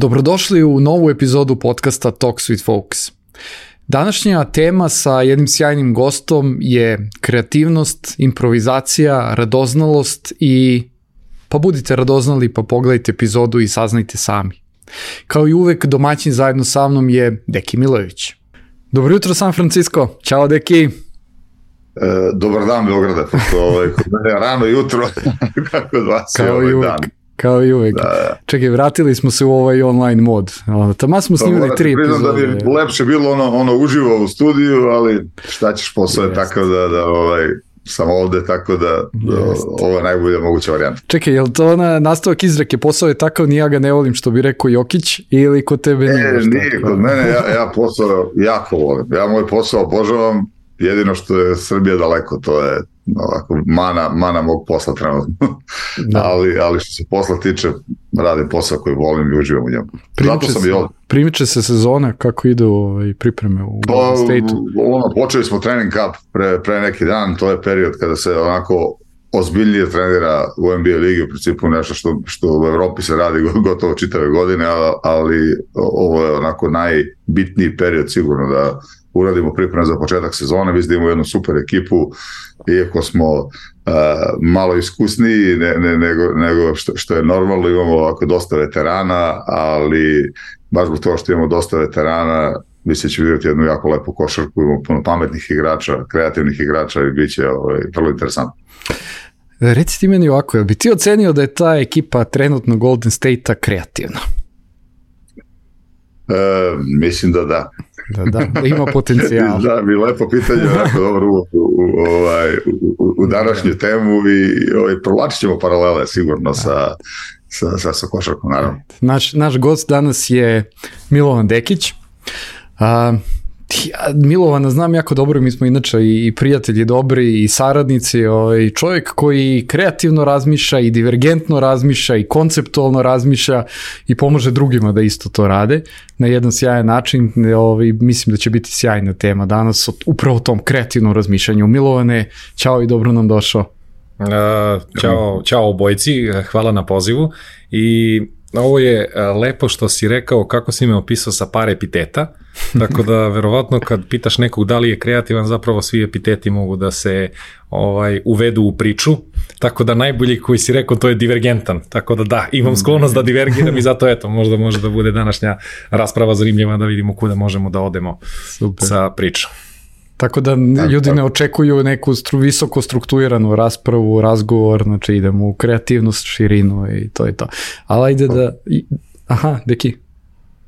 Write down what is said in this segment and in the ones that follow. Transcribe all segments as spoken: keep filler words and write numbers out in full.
Dobrodošli u novu epizodu podcasta Talks with Folks. Današnja tema sa jednim sjajnim gostom je kreativnost, improvizacija, radoznalost i pa budite radoznali pa pogledajte epizodu i saznajte sami. Kao i uvek, domaćin zajedno sa mnom je Deki Milojević. Dobro jutro, San Francisco. Ćao, Deki. E, dobar dan, Beograde. Ovaj, kod mene rano jutro, kako od vas je ovaj uvek. dan. Kao i uvek. Da. Čekaj, vratili smo se u ovaj online mod. Tamo smo snimili pa, tri epizode. Da bi lepše bilo ono, ono uživo u studiju, ali šta ćeš, posao je tako da, da ovaj, sam ovde, tako da, da ovo je najbolja moguća varijanta. Čekaj, je li to ona nastavak izreke, posao je takav, ni ja ga ne volim, što bi rekao Jokić, ili kod tebe nije? E, nije, kod mene, ja, ja posao jako volim. Ja moj posao obožavam, jedino što je Srbija daleko, to je ovako, mana, mana mog posla trenutno. Da. ali, ali što se posla tiče, radim posao koji volim i uživam u njemu. Zato sam i ovdje. Primiče se sezona, kako ide ovaj, pripreme u Golden State-u? Ono, počeli smo trening camp pre, pre neki dan, to je period kada se onako ozbiljnije trenira u N B A ligi, u principu nešto što, što u Evropi se radi gotovo čitave godine, ali ovo je onako najbitniji period sigurno da uradimo pripreme za početak sezone. Mislim da imamo jednu super ekipu, iako smo uh, malo iskusniji ne, ne, nego, nego što, što je normalno, imamo ovako dosta veterana, ali baš zbog toga što imamo dosta veterana, mislim da će vidjeti jednu jako lepu košarku, imamo puno pametnih igrača, kreativnih igrača i bit će ovaj, vrlo interesantno. Reci ti meni ovako, jel bi ti ocenio da je ta ekipa trenutno Golden State-a kreativna? E, mislim da da. Da, da, da ima potencijal. Da, bi lepo pitanje, onako dobro u, u, ovaj, u, u današnju temu i ovaj, provlačit ćemo paralele sigurno sa, sa, sa, sa košarkom, naravno. Naš, naš gost danas je Milovan Dekić. A, ja, Milovana znam jako dobro, mi smo inače i prijatelji dobri i saradnici, ovaj, čovjek koji kreativno razmišlja i divergentno razmišlja i konceptualno razmišlja i pomaže drugima da isto to rade na jedan sjajan način. Ovaj, mislim da će biti sjajna tema danas o upravo tom kreativnom razmišljanju. Milovane, ćao i dobro nam došao. Uh, ćao, ćao obojici, hvala na pozivu i ovo je lepo što si rekao kako si me opisao sa par epiteta, tako da verovatno kad pitaš nekog da li je kreativan, zapravo svi epiteti mogu da se ovaj, uvedu u priču, tako da najbolji koji si rekao to je divergentan, tako da da, imam sklonost da divergiram i zato eto, možda može da bude današnja rasprava zanimljiva da vidimo kuda možemo da odemo. Super. Sa pričom. Tako da ljudi ne očekuju neku stru, visoko strukturiranu raspravu, razgovor, znači idemo u kreativnost, širinu i to je to. Ali ajde da... Aha, Deki.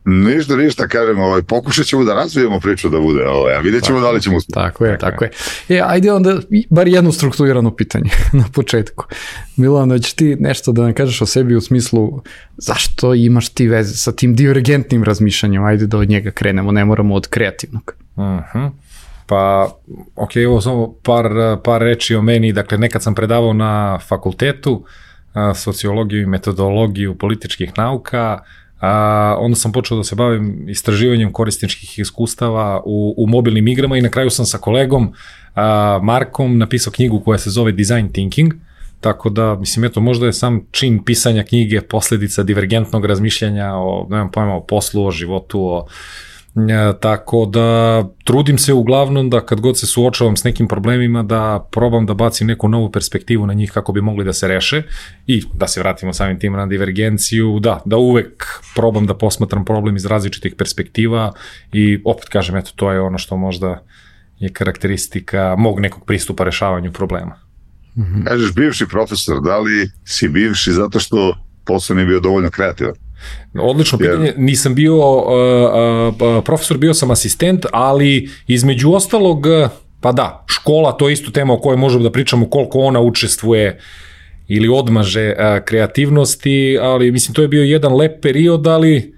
Ništa, ništa, kažem, ovaj, pokušat ćemo da razvijemo priču da bude, ovaj, a vidjet ćemo da li ćemo uspjeti. Tako je, tako je. E, ajde onda, bar jedno strukturirano pitanje na početku. Milan, hoćeš ti nešto da nam kažeš o sebi u smislu zašto imaš ti veze sa tim divergentnim razmišljanjem? Ajde da od njega krenemo, ne moramo od kreativnog. Mhm. Pa, ok, evo samo par, par reči o meni. Dakle, nekad sam predavao na fakultetu sociologiju i metodologiju političkih nauka, a, onda sam počeo da se bavim istraživanjem korisničkih iskustava u, u mobilnim igrama i na kraju sam sa kolegom a, Markom napisao knjigu koja se zove Design Thinking, tako da, mislim, eto, možda je sam čin pisanja knjige posljedica divergentnog razmišljanja o, ne znam pojma, o poslu, o životu, o Ja, tako da trudim se uglavnom da kad god se suočavam s nekim problemima da probam da bacim neku novu perspektivu na njih kako bi mogli da se reše i da se vratimo samim tim na divergenciju, da, da uvek probam da posmatram problem iz različitih perspektiva i opet kažem, eto, to je ono što možda je karakteristika mog nekog pristupa rešavanju problema. Mm-hmm. Kažeš bivši profesor, da li si bivši zato što posao nije bio dovoljno kreativan? Odlično pitanje, nisam bio uh, uh, profesor, bio sam asistent, ali između ostalog, pa da, škola, to je isto tema o kojoj možemo da pričamo, koliko ona učestvuje ili odmaže uh, kreativnosti, ali mislim to je bio jedan lep period, ali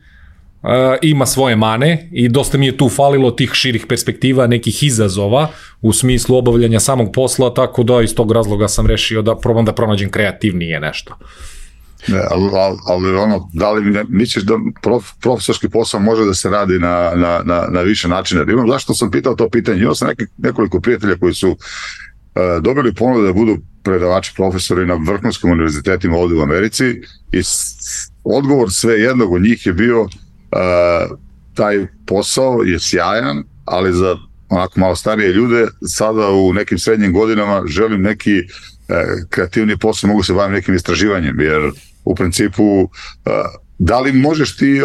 uh, ima svoje mane i dosta mi je tu falilo tih širih perspektiva, nekih izazova u smislu obavljanja samog posla, tako da iz tog razloga sam rešio da probam da pronađem kreativnije nešto. Ne, ali, ali ono, da li misliš da prof, profesorski posao može da se radi na, na, na, na više načina? Imam, zašto sam pitao to pitanje? Imao sam neki, nekoliko prijatelja koji su uh, dobili ponudu da budu predavači, profesori na vrhunskim univerzitetima ovde u Americi i odgovor sve jednog od njih je bio uh, taj posao je sjajan, ali za onako malo starije ljude sada u nekim srednjim godinama želim neki uh, kreativni posao, mogu se baviti nekim istraživanjem, jer u principu uh, da li možeš ti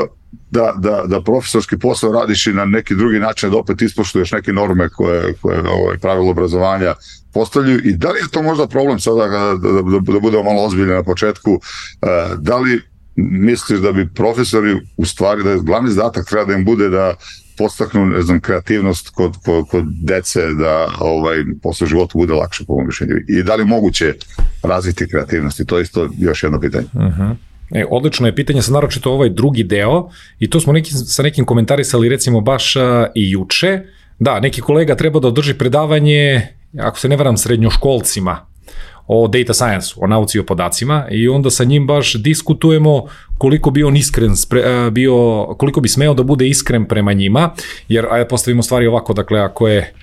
da, da, da profesorski posao radiš i na neki drugi način da opet ispoštuješ neke norme koje, koje ovaj, pravilo obrazovanja postavljaju i da li je to možda problem sada da, da, da budemo malo ozbiljni na početku, uh, da li misliš da bi profesori u stvari da je glavni zadatak treba da im bude da podstaknu, ne znam, kreativnost kod, kod, kod dece da ovaj, posle života bude lakše po mom mišljenju i da li moguće razviti kreativnost i to je isto još jedno pitanje. Uh-huh. E, odlično je pitanje, sad naročito ovaj drugi deo i to smo neki, sa nekim komentarisali recimo baš a, i juče. Da, neki kolega treba da održi predavanje, ako se ne varam, srednjoškolcima o data science-u, o nauci i o podacima i onda sa njim baš diskutujemo koliko bi on iskren, bio, koliko bi smeo da bude iskren prema njima, jer ajde postavimo stvari ovako, dakle ako je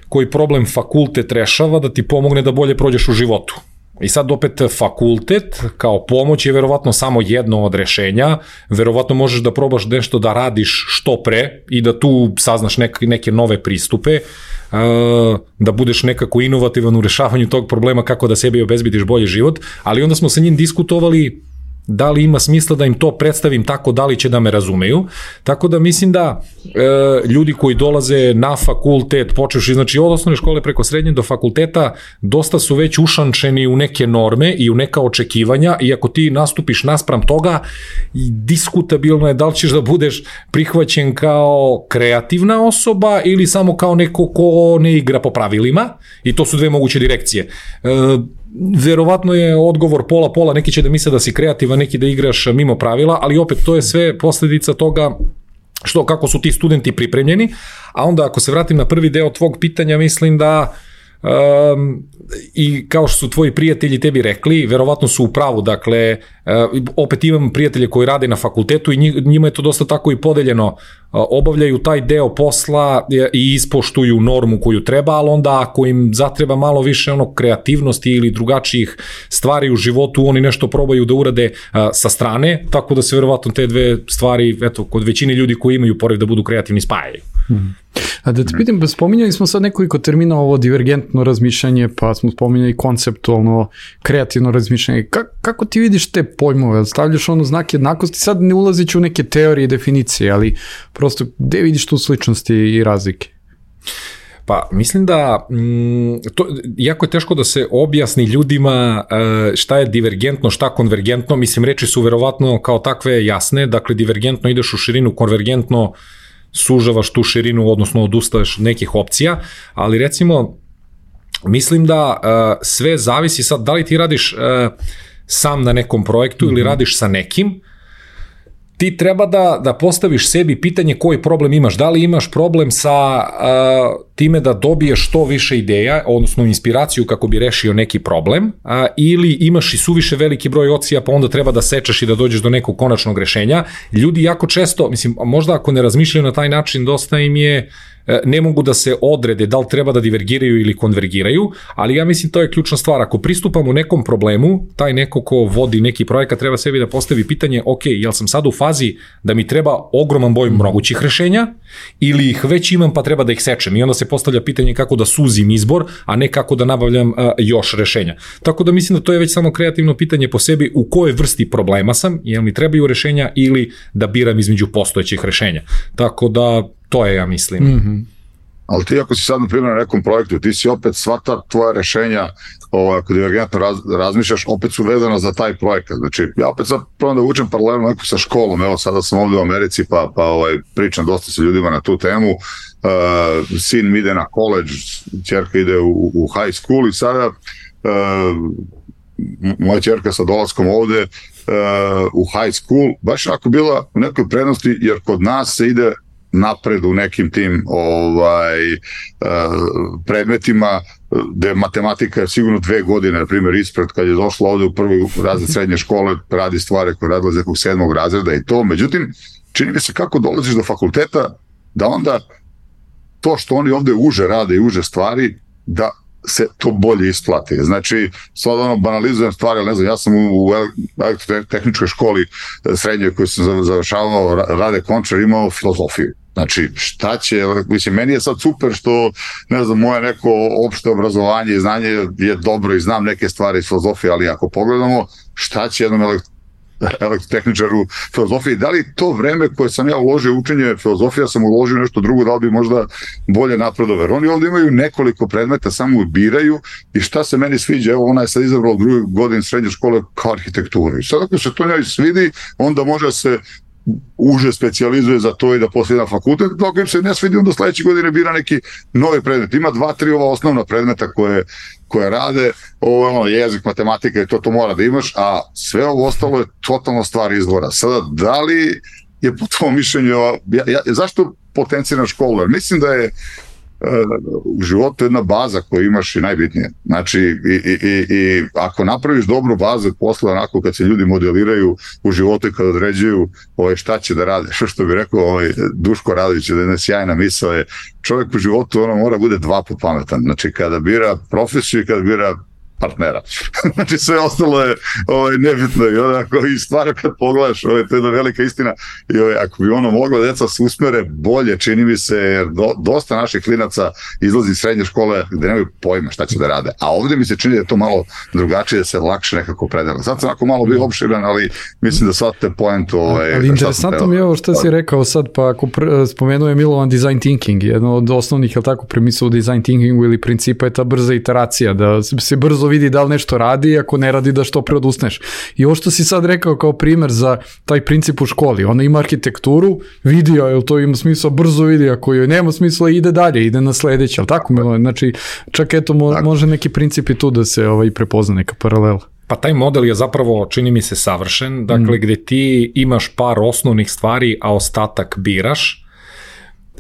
koji problem fakultet rešava da ti pomogne da bolje prođeš u životu. I sad opet fakultet kao pomoć je verovatno samo jedno od rešenja, verovatno možeš da probaš nešto da radiš što pre i da tu saznaš neke, neke nove pristupe, da budeš nekako inovativan u rešavanju tog problema kako da sebi obezbediš bolji život, ali onda smo sa njim diskutovali da li ima smisla da im to predstavim tako, da li će da me razumeju, tako da mislim da e, ljudi koji dolaze na fakultet, počeš znači od osnovne škole preko srednje do fakulteta, dosta su već ušančeni u neke norme i u neka očekivanja i ako ti nastupiš naspram toga, diskutabilno je da li ćeš da budeš prihvaćen kao kreativna osoba ili samo kao neko ko ne igra po pravilima i to su dve moguće direkcije. E, verovatno je odgovor pola-pola, neki će da misle da si kreativan, neki da igraš mimo pravila, ali opet to je sve posledica toga što kako su ti studenti pripremljeni, a onda ako se vratim na prvi deo tvog pitanja, mislim da um, i kao što su tvoji prijatelji tebi rekli, verovatno su u pravu, dakle, uh, opet imam prijatelje koji rade na fakultetu i njima je to dosta tako i podeljeno, uh, obavljaju taj deo posla i ispoštuju normu koju treba, ali onda ako im zatreba malo više ono kreativnosti ili drugačijih stvari u životu, oni nešto probaju da urade uh, sa strane, tako da se verovatno te dve stvari, eto, kod većine ljudi koji imaju pored da budu kreativni spajaju. Hmm. A da te pitam, spominjali smo sad nekoliko termina, ovo divergentno razmišljanje, pa smo spominjali konceptualno, kreativno razmišljanje. Ka, kako ti vidiš te pojmove? Stavljaš ono znak jednakosti, sad ne ulazeći u neke teorije i definicije, ali prosto gde vidiš tu sličnosti i razlike? Pa mislim da m, to, jako je teško da se objasni ljudima e, šta je divergentno, šta konvergentno, mislim reči su verovatno kao takve jasne, dakle divergentno ideš u širinu, konvergentno sužavaš tu širinu, odnosno odustaješ nekih opcija, ali recimo mislim da uh, sve zavisi sad da li ti radiš uh, sam na nekom projektu mm-hmm. ili radiš sa nekim, ti treba da, da postaviš sebi pitanje koji problem imaš, da li imaš problem sa uh, time da dobiješ što više ideja, odnosno inspiraciju kako bi rešio neki problem, uh, ili imaš i suviše veliki broj opcija pa onda treba da sečeš i da dođeš do nekog konačnog rešenja. Ljudi jako često, mislim, možda ako ne razmišljaju na taj način, dosta im je ne mogu da se odrede da li treba da divergiraju ili konvergiraju, ali ja mislim to je ključna stvar. Ako pristupamo nekom problemu, taj neko ko vodi neki projekat treba sebi da postavi pitanje, ok, jel sam sad u fazi da mi treba ogroman broj mogućih rešenja ili ih već imam pa treba da ih sečem i onda se postavlja pitanje kako da suzim izbor, a ne kako da nabavljam uh, još rešenja. Tako da mislim da to je već samo kreativno pitanje po sebi u kojoj vrsti problema sam, jel mi trebaju rešenja ili da biram između postojećih rešenja. Tako da to je, ja mislim. Mm-hmm. Ali ti ako si sad, na primjer, na nekom projektu, ti si opet sva ta tvoja rešenja, ovo, ako divergentno raz, razmišljaš, opet su vezana za taj projekat. Znači, ja opet sad probam da učem paralelno neko sa školom, evo sada sam ovdje u Americi, pa, pa ovaj, pričam dosta sa ljudima na tu temu, uh, sin mi ide na college, ćerka ide u, u high school i sada uh, moja ćerka sa dolaskom ovdje uh, u high school, baš ako bila u nekoj prednosti, jer kod nas se ide napred u nekim tim ovaj, uh, predmetima gde matematika je sigurno dve godine, na primjer, ispred kad je došla ovde u prvi razred srednje škole, radi stvari koje radila iz nekog sedmog razreda i to. Međutim, čini mi se kako dolaziš do fakulteta, da onda to što oni ovde uže rade i uže stvari, da se to bolje isplati. Znači, sad ono, banalizujem stvari, ali ne znam, ja sam u, u elektrotehničkoj školi srednjoj koju sam završavao, Rade Končar, imao filozofiju. Znači, šta će, mislim, meni je sad super što, ne znam, moje neko opšte obrazovanje i znanje je dobro i znam neke stvari iz filozofije, ali ako pogledamo šta će jednom elektrotehničkom elektrotehničaru filozofije, da li to vreme koje sam ja uložio u učenje filozofija, sam uložio nešto drugo, da li bi možda bolje napredovao. Jer oni ovdje imaju nekoliko predmeta, samo biraju i šta se meni sviđa, evo ona je sad izabrala druge godine srednje škole kao arhitekturu. I sad ako se to njoj svidi, onda može se uže specijalizuje za to i da poslije na fakultet, dok im se ne svidi, onda sledeće godine bira neki novi predmet. Ima dva, tri ova osnovna predmeta koje, koje rade, ovo je ono, jezik, matematika i to, to mora da imaš, a sve ovo ostalo je totalno stvar izvora. Sada, da li je po tvojom mišljenju, ja, ja, zašto potencijna škola? Mislim da je u životu jedna baza koju imaš je najbitnije. Znači, i, i, i, i ako napraviš dobru bazu posle, onako kad se ljudi modeliraju u životu i kad određuju ovaj, šta će da rade, što, što bi rekao ovaj, Duško Radović, da je jedna sjajna misao je, čovjek u životu ono mora bude dva put pametan. Znači, kada bira profesiju i kada bira partnera. Znači sve ostalo je ovaj, nebitno i onako i stvarno kad pogledaš, ovaj, to je jedna velika istina i ovaj, ako bi ono moglo deca se usmere bolje, čini mi se, jer do, dosta naših klinaca izlazi iz srednje škole gde nemaju pojma šta će da rade, a ovdje mi se čini da je to malo drugačije, da se lakše nekako predela. Sad sam ako malo bio opširan, ali mislim da sad te poentu ovaj, ali interesantno mi je ovo što si rekao sad, pa ako pr- spomenuo je Milovan design thinking, jedno od osnovnih, je tako, premisa u design thinkingu ili principa je ta brza iteracija, da se brzo vidi da li nešto radi, ako ne radi da što pre odusneš. I ovo što si sad rekao kao primer za taj princip u školi, ona ima arhitekturu, vidi jel to ima smisla, brzo vidi, ako joj nema smisla ide dalje, ide na sledeće, ali tako Milo, znači čak eto mo, može neki princip i tu da se ovaj, prepozna neka paralela. Pa taj model je zapravo, čini mi se, savršen, dakle mm. gde ti imaš par osnovnih stvari, a ostatak biraš,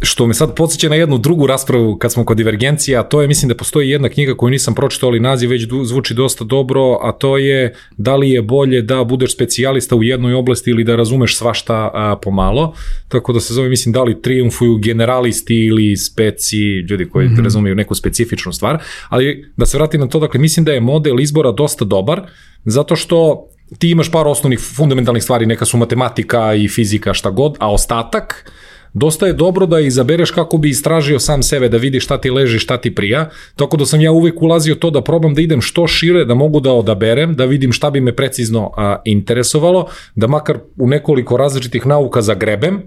što me sad podsjeća na jednu drugu raspravu kad smo kod divergencija, a to je, mislim da postoji jedna knjiga koju nisam pročitao, ali naziv već zvuči dosta dobro, a to je da li je bolje da budeš specijalista u jednoj oblasti ili da razumeš svašta a, pomalo, tako da se zove, mislim, da li triumfuju generalisti ili speci, ljudi koji mm-hmm. razumiju neku specifičnu stvar, ali da se vratim na to, dakle, mislim da je model izbora dosta dobar, zato što ti imaš par osnovnih fundamentalnih stvari, neka su matematika i fizika, šta god, a ostatak dosta je dobro da izabereš kako bi istražio sam sebe, da vidiš šta ti leži, šta ti prija, tako da sam ja uvek ulazio to da probam da idem što šire, da mogu da odaberem, da vidim šta bi me precizno a, interesovalo, da makar u nekoliko različitih nauka zagrebem,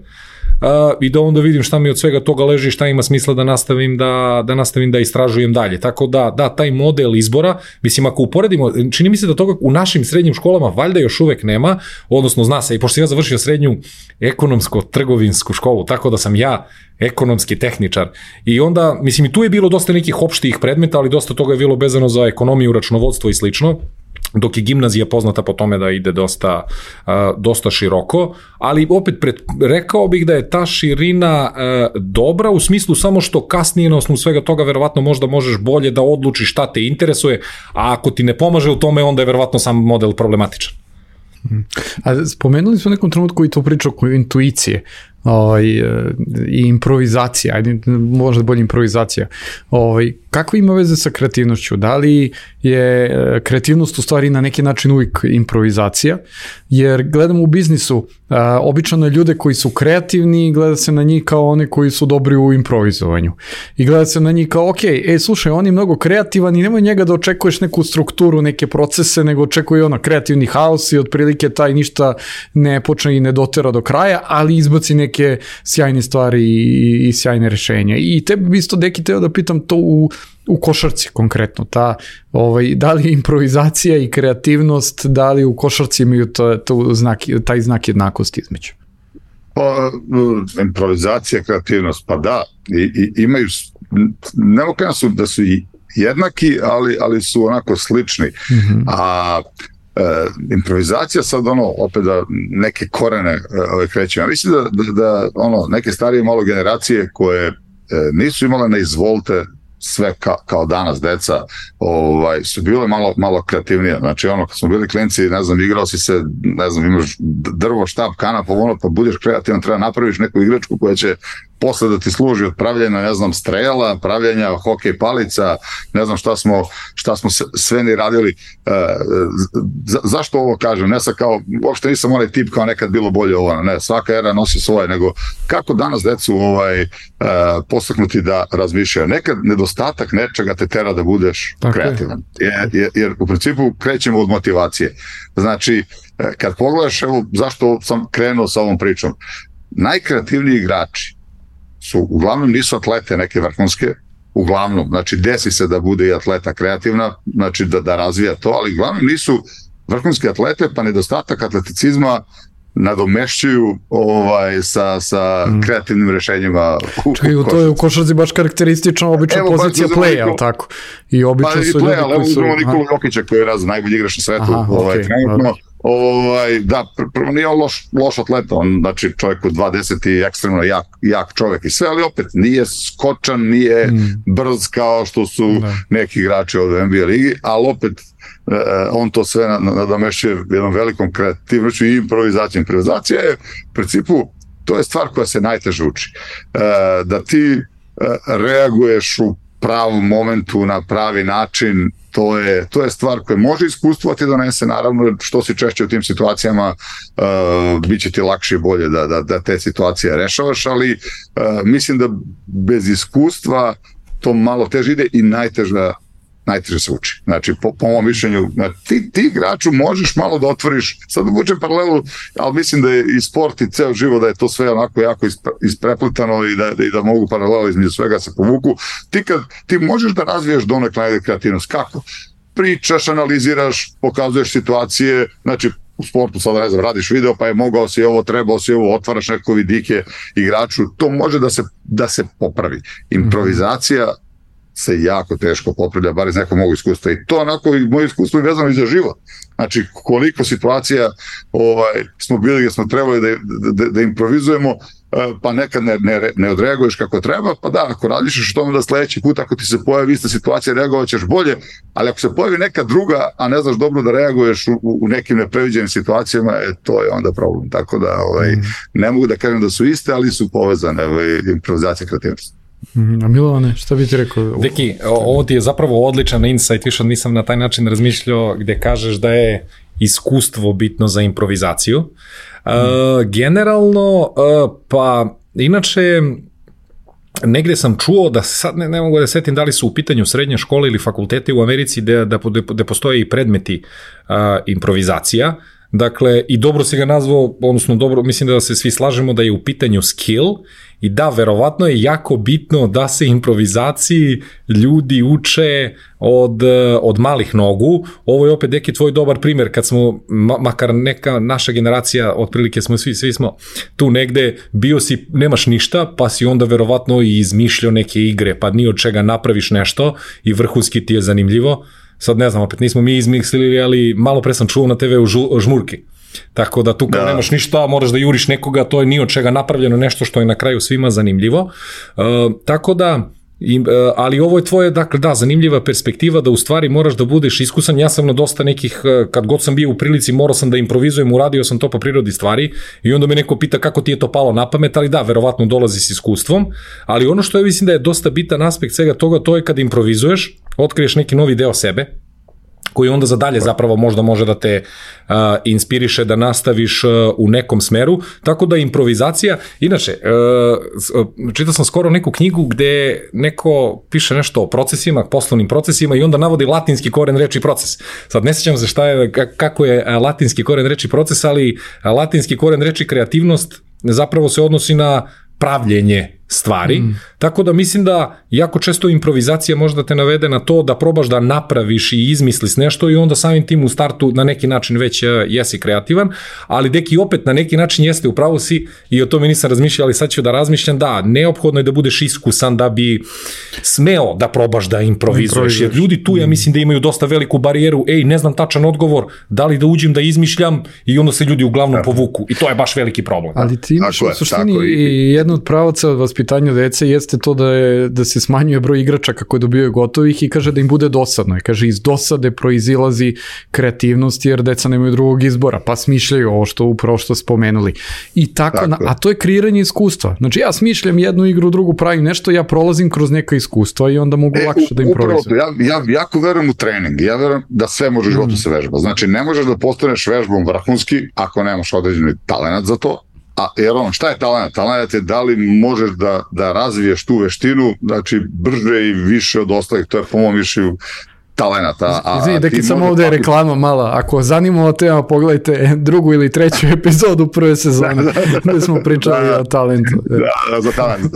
Uh, i da onda vidim šta mi od svega toga leži, šta ima smisla da nastavim da, da nastavim da istražujem dalje. Tako da, da, taj model izbora, mislim, ako uporedimo, čini mi se da toga u našim srednjim školama valjda još uvek nema, odnosno zna se, i pošto sam ja završio srednju ekonomsko-trgovinsku školu, tako da sam ja ekonomski tehničar. I onda, mislim, i tu je bilo dosta nekih opštih predmeta, ali dosta toga je bilo vezano za ekonomiju, računovodstvo i slično, dok je gimnazija poznata po tome da ide dosta, uh, dosta široko, ali opet pred, rekao bih da je ta širina uh, dobra u smislu samo što kasnije na osnovu svega toga verovatno možda možeš bolje da odlučiš šta te interesuje, a ako ti ne pomaže u tome, onda je verovatno sam model problematičan. A spomenuli smo u nekom trenutku i to priču oko intuicije ovaj, i improvizacija, ajde, možda bolje improvizacija. Ovaj, kako ima veze sa kreativnošću? Da li je kreativnost u stvari na neki način uvijek improvizacija? Jer gledamo u biznisu, a, obično ljude koji su kreativni, gleda se na njih kao one koji su dobri u improvizovanju. I gleda se na njih kao, ok, e, slušaj, on je mnogo kreativan i nemoj njega da očekuješ neku strukturu, neke procese, nego očekuje ono kreativni haos i otprilike taj ništa ne počne i ne dotera do kraja, ali izbaci neke sjajne stvari i, i sjajne rešenja. I te bi isto, Deki, teo da pitam to u, u košarci konkretno, ta, ovaj, da li improvizacija i kreativnost, da li u košarci imaju to, to znak, taj znak jednakosti između? Pa, improvizacija, kreativnost, pa da, i, i, imaju, ne mogu su da su jednaki, ali, ali su onako slični, mm-hmm. a E, improvizacija sad ono opet da neke korene ove kreću. Ja mislim da, da, da ono neke starije malo generacije koje e, nisu imale na izvolte sve ka, kao danas deca, ovaj, su bile malo, malo kreativnije. Znači ono kad smo bili klinci, ne znam, igrao si se, ne znam, imaš drvo, štab, kanap, ono, pa budeš kreativan, treba napraviš neku igračku koja će posle da ti služi od pravljenja, ne znam, strela, pravljenja hokej palica, ne znam šta smo, šta smo sve ni radili. Za, zašto ovo kažem? Ne sad kao, uopšte nisam onaj tip kao nekad bilo bolje ovo, ne, svaka era nosi svoje, nego kako danas decu ovaj, postaknuti da razmišljaju. Nekad nedostatak nečega te tera da budeš tako kreativan. Jer, jer, jer u principu krećemo od motivacije. Znači, kad pogledaš, evo, zašto sam krenuo sa ovom pričom, najkreativniji igrači su, uglavnom nisu atlete neke vrhunske, uglavnom, znači desi se da bude i atleta kreativna, znači da, da razvija to, ali uglavnom nisu vrhunske atlete, pa nedostatak atleticizma nadomešćuju ovaj, sa, sa mm. kreativnim rešenjima u, Čekaj, u to je u košarci baš karakteristično obična evo, pozicija play, ali tako? I obično pa, su play, ljudi ali koji su... Evo Nikolu Jokića koji je raz najbolji igrač na svetu, aha, ovaj, okay, trenutno. Okay. Ovaj, da, prvo nije on loš, loš atleta, on, znači čovjek u dvadeset i ekstremno jak, jak čovjek i sve, ali opet nije skočan, nije mm. brz kao što su da. neki igrači od N B A ligi, ali opet eh, on to sve nadomešćuje jednom velikom kreativnošću i improvizacijom. Improvizacija je u principu, to je stvar koja se najteže uči. Eh, da ti eh, reaguješ u pravom momentu na pravi način, to je, to je stvar koja može iskustvo ti donese, naravno što si češće u tim situacijama uh, bit će ti lakše i bolje da, da, da te situacije rešavaš, ali uh, mislim da bez iskustva to malo teže ide i najteže, najteže se uči. Znači, po, po mom mišljenju, ti, ti igraču možeš malo da otvoriš, sad uvučem paralelu, ali mislim da je i sport i ceo život, da je to sve onako jako isprepletano i da, da, i da mogu paralelo između svega se povuku. Ti, kad, ti možeš da razviješ donekle najde kreativnost. Kako? Pričaš, analiziraš, pokazuješ situacije, znači u sportu sada ne znam, radiš video, pa je mogao si ovo, trebao si ovo, otvaraš neko vidike igraču, to može da se, da se popravi. Improvizacija se jako teško popravlja, bar iz nekog mog iskustva. I to onako, i moje iskustvo je vezano i za život. Znači, koliko situacija ovaj, smo bili gdje smo trebali da, da, da improvizujemo, pa nekad ne, ne, ne odreaguješ kako treba, pa da, ako radiš što onda sledeći put, ako ti se pojavi ista situacija, reagovat ćeš bolje, ali ako se pojavi neka druga, a ne znaš dobro da reaguješ u, u nekim nepreviđenim situacijama, e, to je onda problem. Tako da, ovaj, mm. ne mogu da kažem da su iste, ali su povezane, ovaj, improvizacija, kreativnost. A Milovane, šta bi ti rekao? Deki, ovo ti je zapravo odličan insight, više nisam na taj način razmišljao, gde kažeš da je iskustvo bitno za improvizaciju. Mm. Uh, generalno, uh, pa inače, negde sam čuo da sad ne, ne mogu da setim da li su u pitanju srednje škole ili fakultete u Americi gde, da, da postoje i predmeti uh, improvizacija. Dakle, i dobro si ga nazvao, odnosno dobro, mislim da se svi slažemo da je u pitanju skill i da, verovatno je jako bitno da se improvizaciji ljudi uče od, od malih nogu. Ovo je opet neki tvoj dobar primjer kad smo, makar neka naša generacija, otprilike smo svi, svi smo tu negde, bio si, nemaš ništa, pa si onda verovatno i izmišljao neke igre, pa ni od čega napraviš nešto i vrhunski ti je zanimljivo. Sad ne znam, opet nismo mi izmislili, ali malo pre sam čuo na te ve u žu, žmurki. Tako da tu kao da. nemaš ništa, moraš da juriš nekoga, to je ni od čega napravljeno nešto što je na kraju svima zanimljivo. Uh, tako da, i, uh, ali ovo je tvoje, dakle da, zanimljiva perspektiva da u stvari moraš da budeš iskusan. Ja sam na dosta nekih, uh, kad god sam bio u prilici, morao sam da improvizujem, uradio sam to po prirodi stvari i onda me neko pita kako ti je to palo na pamet, ali da, verovatno dolazi s iskustvom, ali ono što je, mislim da je dosta bitan aspekt svega toga, to je kad improvizuješ, otkriješ neki novi deo sebe, koji onda za dalje zapravo možda može da te uh, inspiriše da nastaviš uh, u nekom smeru, tako da improvizacija, inače, uh, čitao sam skoro neku knjigu gde neko piše nešto o procesima, poslovnim procesima i onda navodi latinski koren reči proces. Sad ne sjećam se šta je, kako je latinski koren reči proces, ali latinski koren reči kreativnost zapravo se odnosi na pravljenje stvari, mm. tako da mislim da jako često improvizacija možda te navede na to da probaš da napraviš i izmisliš nešto i onda samim tim u startu na neki način već jesi kreativan, ali deki opet na neki način jeste, upravo si i o tome nisam razmišljao, ali sad ću da razmišljam, da, neophodno je da budeš iskusan da bi smeo da probaš da improvizuješ, jer ljudi tu ja mislim da imaju dosta veliku barijeru, ej, ne znam tačan odgovor, da li da uđem da izmišljam i onda se ljudi uglavnom povuku i to je baš veliki problem. Ali ti imaš u suštini i jednu od pravaca vas vaspitanju dece jeste to da, je, da se smanjuje broj igračaka koje dobijaju gotovih i kaže da im bude dosadno. I kaže iz dosade proizilazi kreativnost jer deca nemaju drugog izbora, pa smišljaju ovo što upravo što spomenuli. I tako, tako. Na, a to je kreiranje iskustva. Znači ja smišljam jednu igru, drugu pravim nešto, ja prolazim kroz neka iskustva i onda mogu e, lakše da improvizujem. Ja, ja jako verujem u trening, ja verujem da sve može u životu mm. se vežba. Znači ne možeš da postaneš vežbom vrhunski ako nemaš određeni talenat za to. A jer on, šta je talent? Talent je da li možeš da, da razviješ tu veštinu, znači brže i više od ostalih, to je po mom mišljenju talent. Izvini, deki samo ovde je reklama mala, ako zanimamo tema, pogledajte drugu ili treću epizodu prve sezone, gde smo pričali da, o talentu. Da, za talent.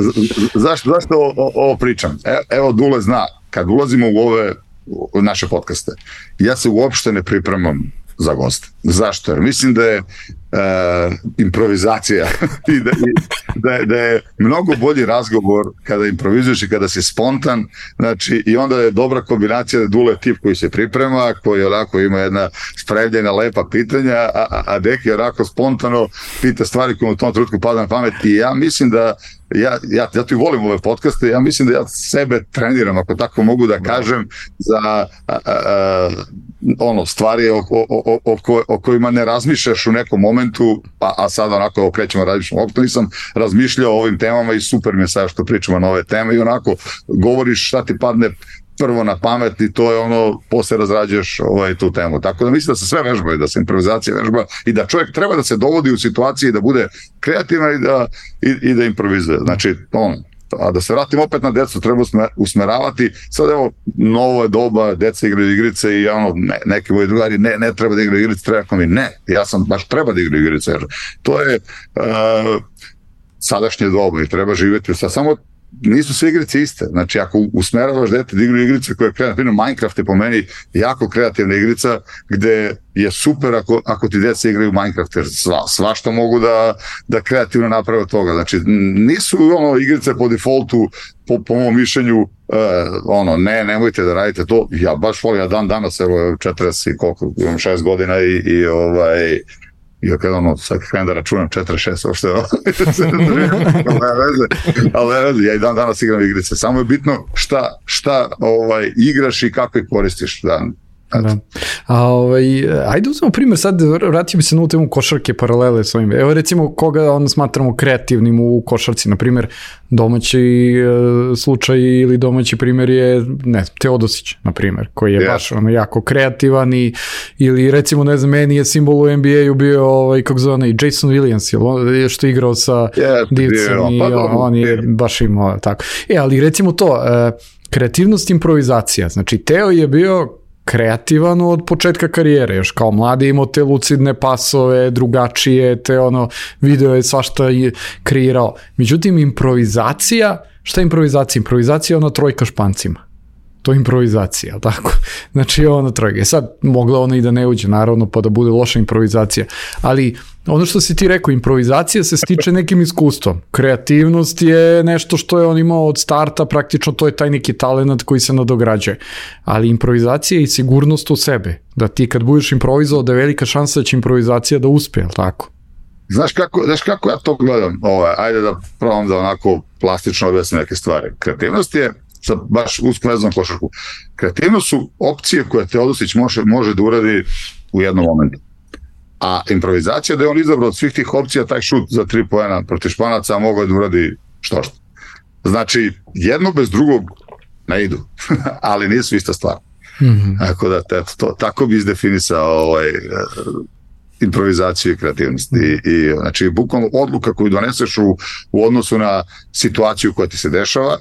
Zašto, zašto ovo, ovo pričam? E, evo Dule zna, kad ulazimo u ove u naše podcaste, ja se uopšte ne pripremam za goste. Zašto? Jer mislim da je uh, improvizacija i da, i, da, je, da je mnogo bolji razgovor kada improvizuješ i kada si spontan, znači i onda je dobra kombinacija da Dule tip koji se priprema, koji onako ima jedna spremljena lepa pitanja, a, a Deki onako spontano pita stvari koje u tom trenutku pada na pamet i ja mislim da Ja, ja, ja tu volim ove podcaste, ja mislim da ja sebe treniram, ako tako mogu da kažem, za a, a, a, ono, stvari o, o, o, o, ko, o kojima ne razmišljaš u nekom momentu, a, a sad onako okrećemo razmišljamo. Opet nisam razmišljao o ovim temama i super mi je sad što pričamo na ove teme i onako govoriš šta ti padne prvo na pamet i to je ono, posle razrađuješ ovaj, tu temu. Tako da mislim da se sve vežba i da se improvizacija vežba i da čovjek treba da se dovodi u situaciji da bude kreativan i da, i, i da improvizuje. Znači, ono, a da se vratim opet na decu, treba usmeravati. Sad evo, novo je doba, deca igraju igrice i ono, ne, neki moji drugari, ne, ne treba da igraju igrice, treba mi, ne, ja sam baš treba da igraju igrice, jer to je uh, sadašnje doba i treba živjeti sa samo nisu sve igrice iste, znači ako usmeravaš dete da igraju igrice koje je kreativno, Minecraft je po meni jako kreativna igrica gde je super ako, ako ti deca igraju Minecraft, jer sva, svašta mogu da, da kreativno naprave od toga, znači nisu ono igrice po defaultu, po, po mom mišljenju, uh, ono, ne, nemojte da radite to, ja baš volim, ja dan danas, evo četrdeset i koliko, imam šest godina i, i ovaj, i kada ono, sad krenem da računam četrdeset šest, uopšte, ali ne veze, ja i dan danas igram igrice, samo je bitno šta, šta ovaj, igraš i kako ih koristiš, da. Da. A, ovaj, ajde uzmemo primjer, sad vratio bi se na ovu temu košarke paralele s ovim. Evo recimo koga on smatramo kreativnim u košarci, na primjer domaći e, slučaj ili domaći primjer je ne, Teodosić, na primjer, koji je yeah. baš ono, jako kreativan i, ili recimo ne znam, meni je simbol u N B A-u bio ovaj, kako zove, Jason Williams, je što je igrao sa yeah, Divcem yeah, i on, on je yeah. baš imao tako. E, ali recimo to, e, kreativnost, improvizacija, znači Teo je bio kreativan od početka karijere, još kao mladi imao te lucidne pasove, drugačije, te ono, video je svašta je kreirao. Međutim, improvizacija, šta je improvizacija? Improvizacija je ona trojka špancima. To je improvizacija, tako? Znači, ono trojka. Sad, mogla ona i da ne uđe, naravno, pa da bude loša improvizacija. Ali, ono što si ti rekao, improvizacija se stiče nekim iskustvom. Kreativnost je nešto što je on imao od starta, praktično to je taj neki talent koji se nadograđuje. Ali improvizacija je i sigurnost u sebe. Da ti kad budeš improvizovao, da je velika šansa da će improvizacija da uspe, jel tako? Znaš kako, znaš kako ja to gledam? Ovo, ajde da probam da onako plastično objasnim neke stvari. Kreativnost je sad baš usko vezano košarku. Kreativnost su opcije koje Teodosić može, može da uradi u jednom momentu. A improvizacija da je on izabrao od svih tih opcija taj šut za tri poena protiv Španaca, a mogao je da uradi što što. Znači, jedno bez drugog ne idu, ali nisu ista stvar. Mm-hmm. Tako da, te, to, tako bi izdefinisao ovaj, improvizaciju i kreativnost. I, i, znači, bukvalno odluka koju doneseš u, u odnosu na situaciju koja ti se dešava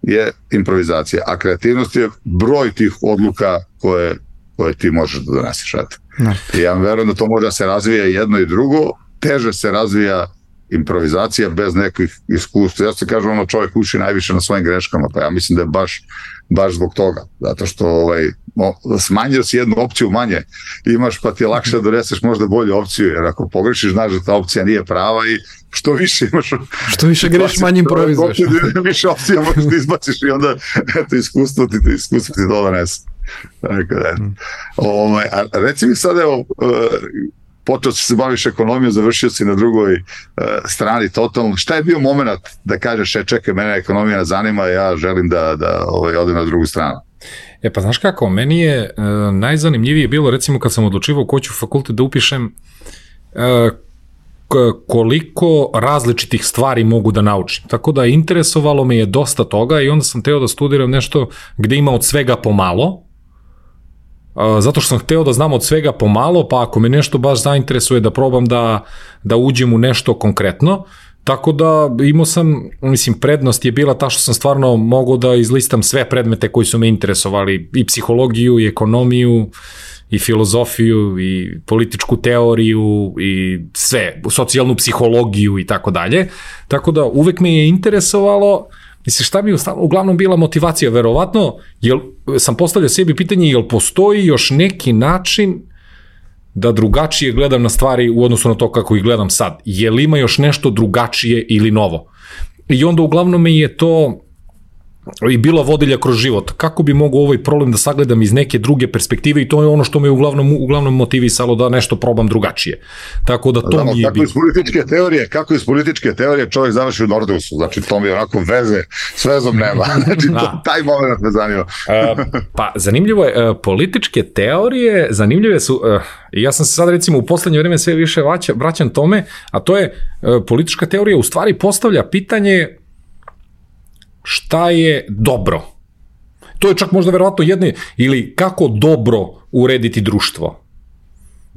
je improvizacija, a kreativnost je broj tih odluka koje, koje ti možeš da doneseš. No. I ja verujem da to može da se razvija jedno i drugo, teže se razvija improvizacija bez nekih iskustva. Ja se kažem, ono, čovjek uči najviše na svojim greškama, pa ja mislim da je baš, baš zbog toga, zato što ovaj, smanjio si jednu opciju manje, imaš pa ti je lakše da doneseš možda bolju opciju, jer ako pogrešiš, znaš da ta opcija nije prava i što više imaš... Što više greš, manje improvizuješ. Više opcija možeš da izbaciš i onda eto, iskustvo ti, iskustvo ti to donese. Tako da, mm. ovaj, a reci mi sad, evo, počeo si se baviš ekonomijom, završio si na drugoj uh, strani totalno. Šta je bio moment da kažeš, e, čekaj, mene ekonomija zanima, ja želim da, da ovaj, odem na drugu stranu? E pa znaš kako, meni je uh, najzanimljivije bilo recimo kad sam odlučivao ko ću fakultet da upišem, uh, koliko različitih stvari mogu da naučim. Tako da interesovalo me je dosta toga i onda sam teo da studiram nešto gde ima od svega pomalo, zato što sam hteo da znam od svega pomalo, pa ako me nešto baš zainteresuje da probam da, da uđem u nešto konkretno, tako da imao sam, mislim, prednost je bila ta što sam stvarno mogao da izlistam sve predmete koji su me interesovali, i psihologiju, i ekonomiju, i filozofiju, i političku teoriju, i sve, socijalnu psihologiju i tako dalje. Tako da uvek me je interesovalo, mislim, šta mi je uglavnom bila motivacija, verovatno, jel, sam postavljao sebi pitanje, jel postoji još neki način da drugačije gledam na stvari u odnosu na to kako ih gledam sad? Jel ima još nešto drugačije ili novo? I onda uglavnom me je to i bila vodilja kroz život. Kako bi mogao ovaj problem da sagledam iz neke druge perspektive, i to je ono što me uglavnom, uglavnom motivisalo da nešto probam drugačije. Tako da to Znamo, mi je kako bilo. Iz političke teorije, kako iz političke teorije čovjek završi u Nordeusu, znači to mi je onako veze, s vezom nema. Znači to, taj moment me zanima. uh, pa zanimljivo je, uh, političke teorije, zanimljive su, uh, ja sam se sad recimo u poslednje vreme sve više vraća, vraćam tome, a to je uh, politička teorija u stvari postavlja pitanje šta je dobro. To je čak možda verovatno jedne, ili kako dobro urediti društvo.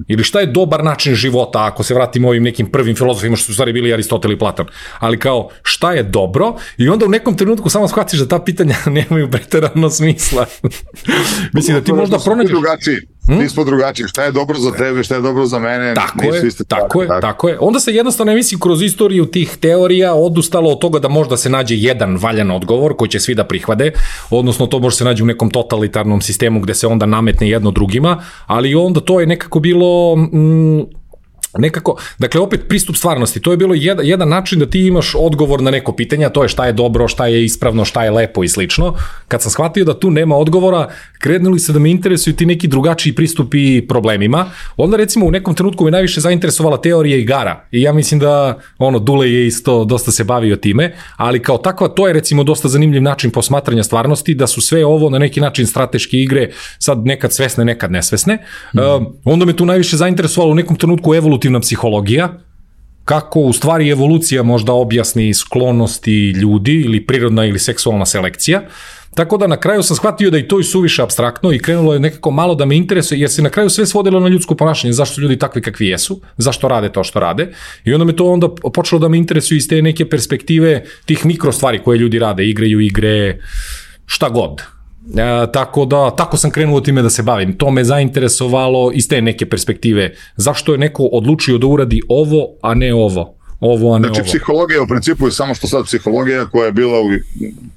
Ili šta je dobar način života, ako se vratimo ovim nekim prvim filozofima što su stvari bili Aristotel i Platon. Ali kao, šta je dobro? I onda u nekom trenutku samo shvatiš da ta pitanja nemaju preterano smisla. Mislim da ti možda pronađeš... Hmm? Nismo drugačiji, šta je dobro za tebe, šta je dobro za mene. Tako je, tako je, tako. tako je. Onda se jednostavno, mislim, kroz istoriju tih teorija odustalo od toga da možda se nađe jedan valjan odgovor koji će svi da prihvade, odnosno to može se nađe u nekom totalitarnom sistemu gde se onda nametne jedno drugima, ali onda to je nekako bilo... Mm, nekako, dakle opet pristup stvarnosti, to je bilo jedan, jedan način da ti imaš odgovor na neko pitanje, a to je šta je dobro, šta je ispravno, šta je lepo i slično. Kad sam shvatio da tu nema odgovora, krenuli se da me interesuju ti neki drugačiji pristupi problemima. Onda recimo u nekom trenutku me najviše zainteresovala teorija igara i ja mislim da ono Dule je isto dosta se bavio time, ali kao takva to je recimo dosta zanimljiv način posmatranja stvarnosti, da su sve ovo na neki način strateške igre, sad nekad svesne, nekad nesvesne. Mm. Uh, onda me tu najviše zainteresovalo u nekom trenutku evolutivna psihologija, kako u stvari evolucija možda objasni sklonosti ljudi ili prirodna ili seksualna selekcija. Tako da na kraju sam shvatio da i to i suviše apstraktno i krenulo je nekako malo da me interesuje, jer se na kraju sve svodilo na ljudsko ponašanje, zašto su ljudi takvi kakvi jesu, zašto rade to što rade. I onda me to onda počelo da me interesuje iz te neke perspektive tih mikro stvari koje ljudi rade, igraju igre, šta god. E, tako da, tako sam krenuo time da se bavim. To me zainteresovalo iz te neke perspektive. Zašto je neko odlučio da uradi ovo, a ne ovo? Ovo, a ne znači, ovo. Psihologija u principu je samo što sad psihologija koja je bila u,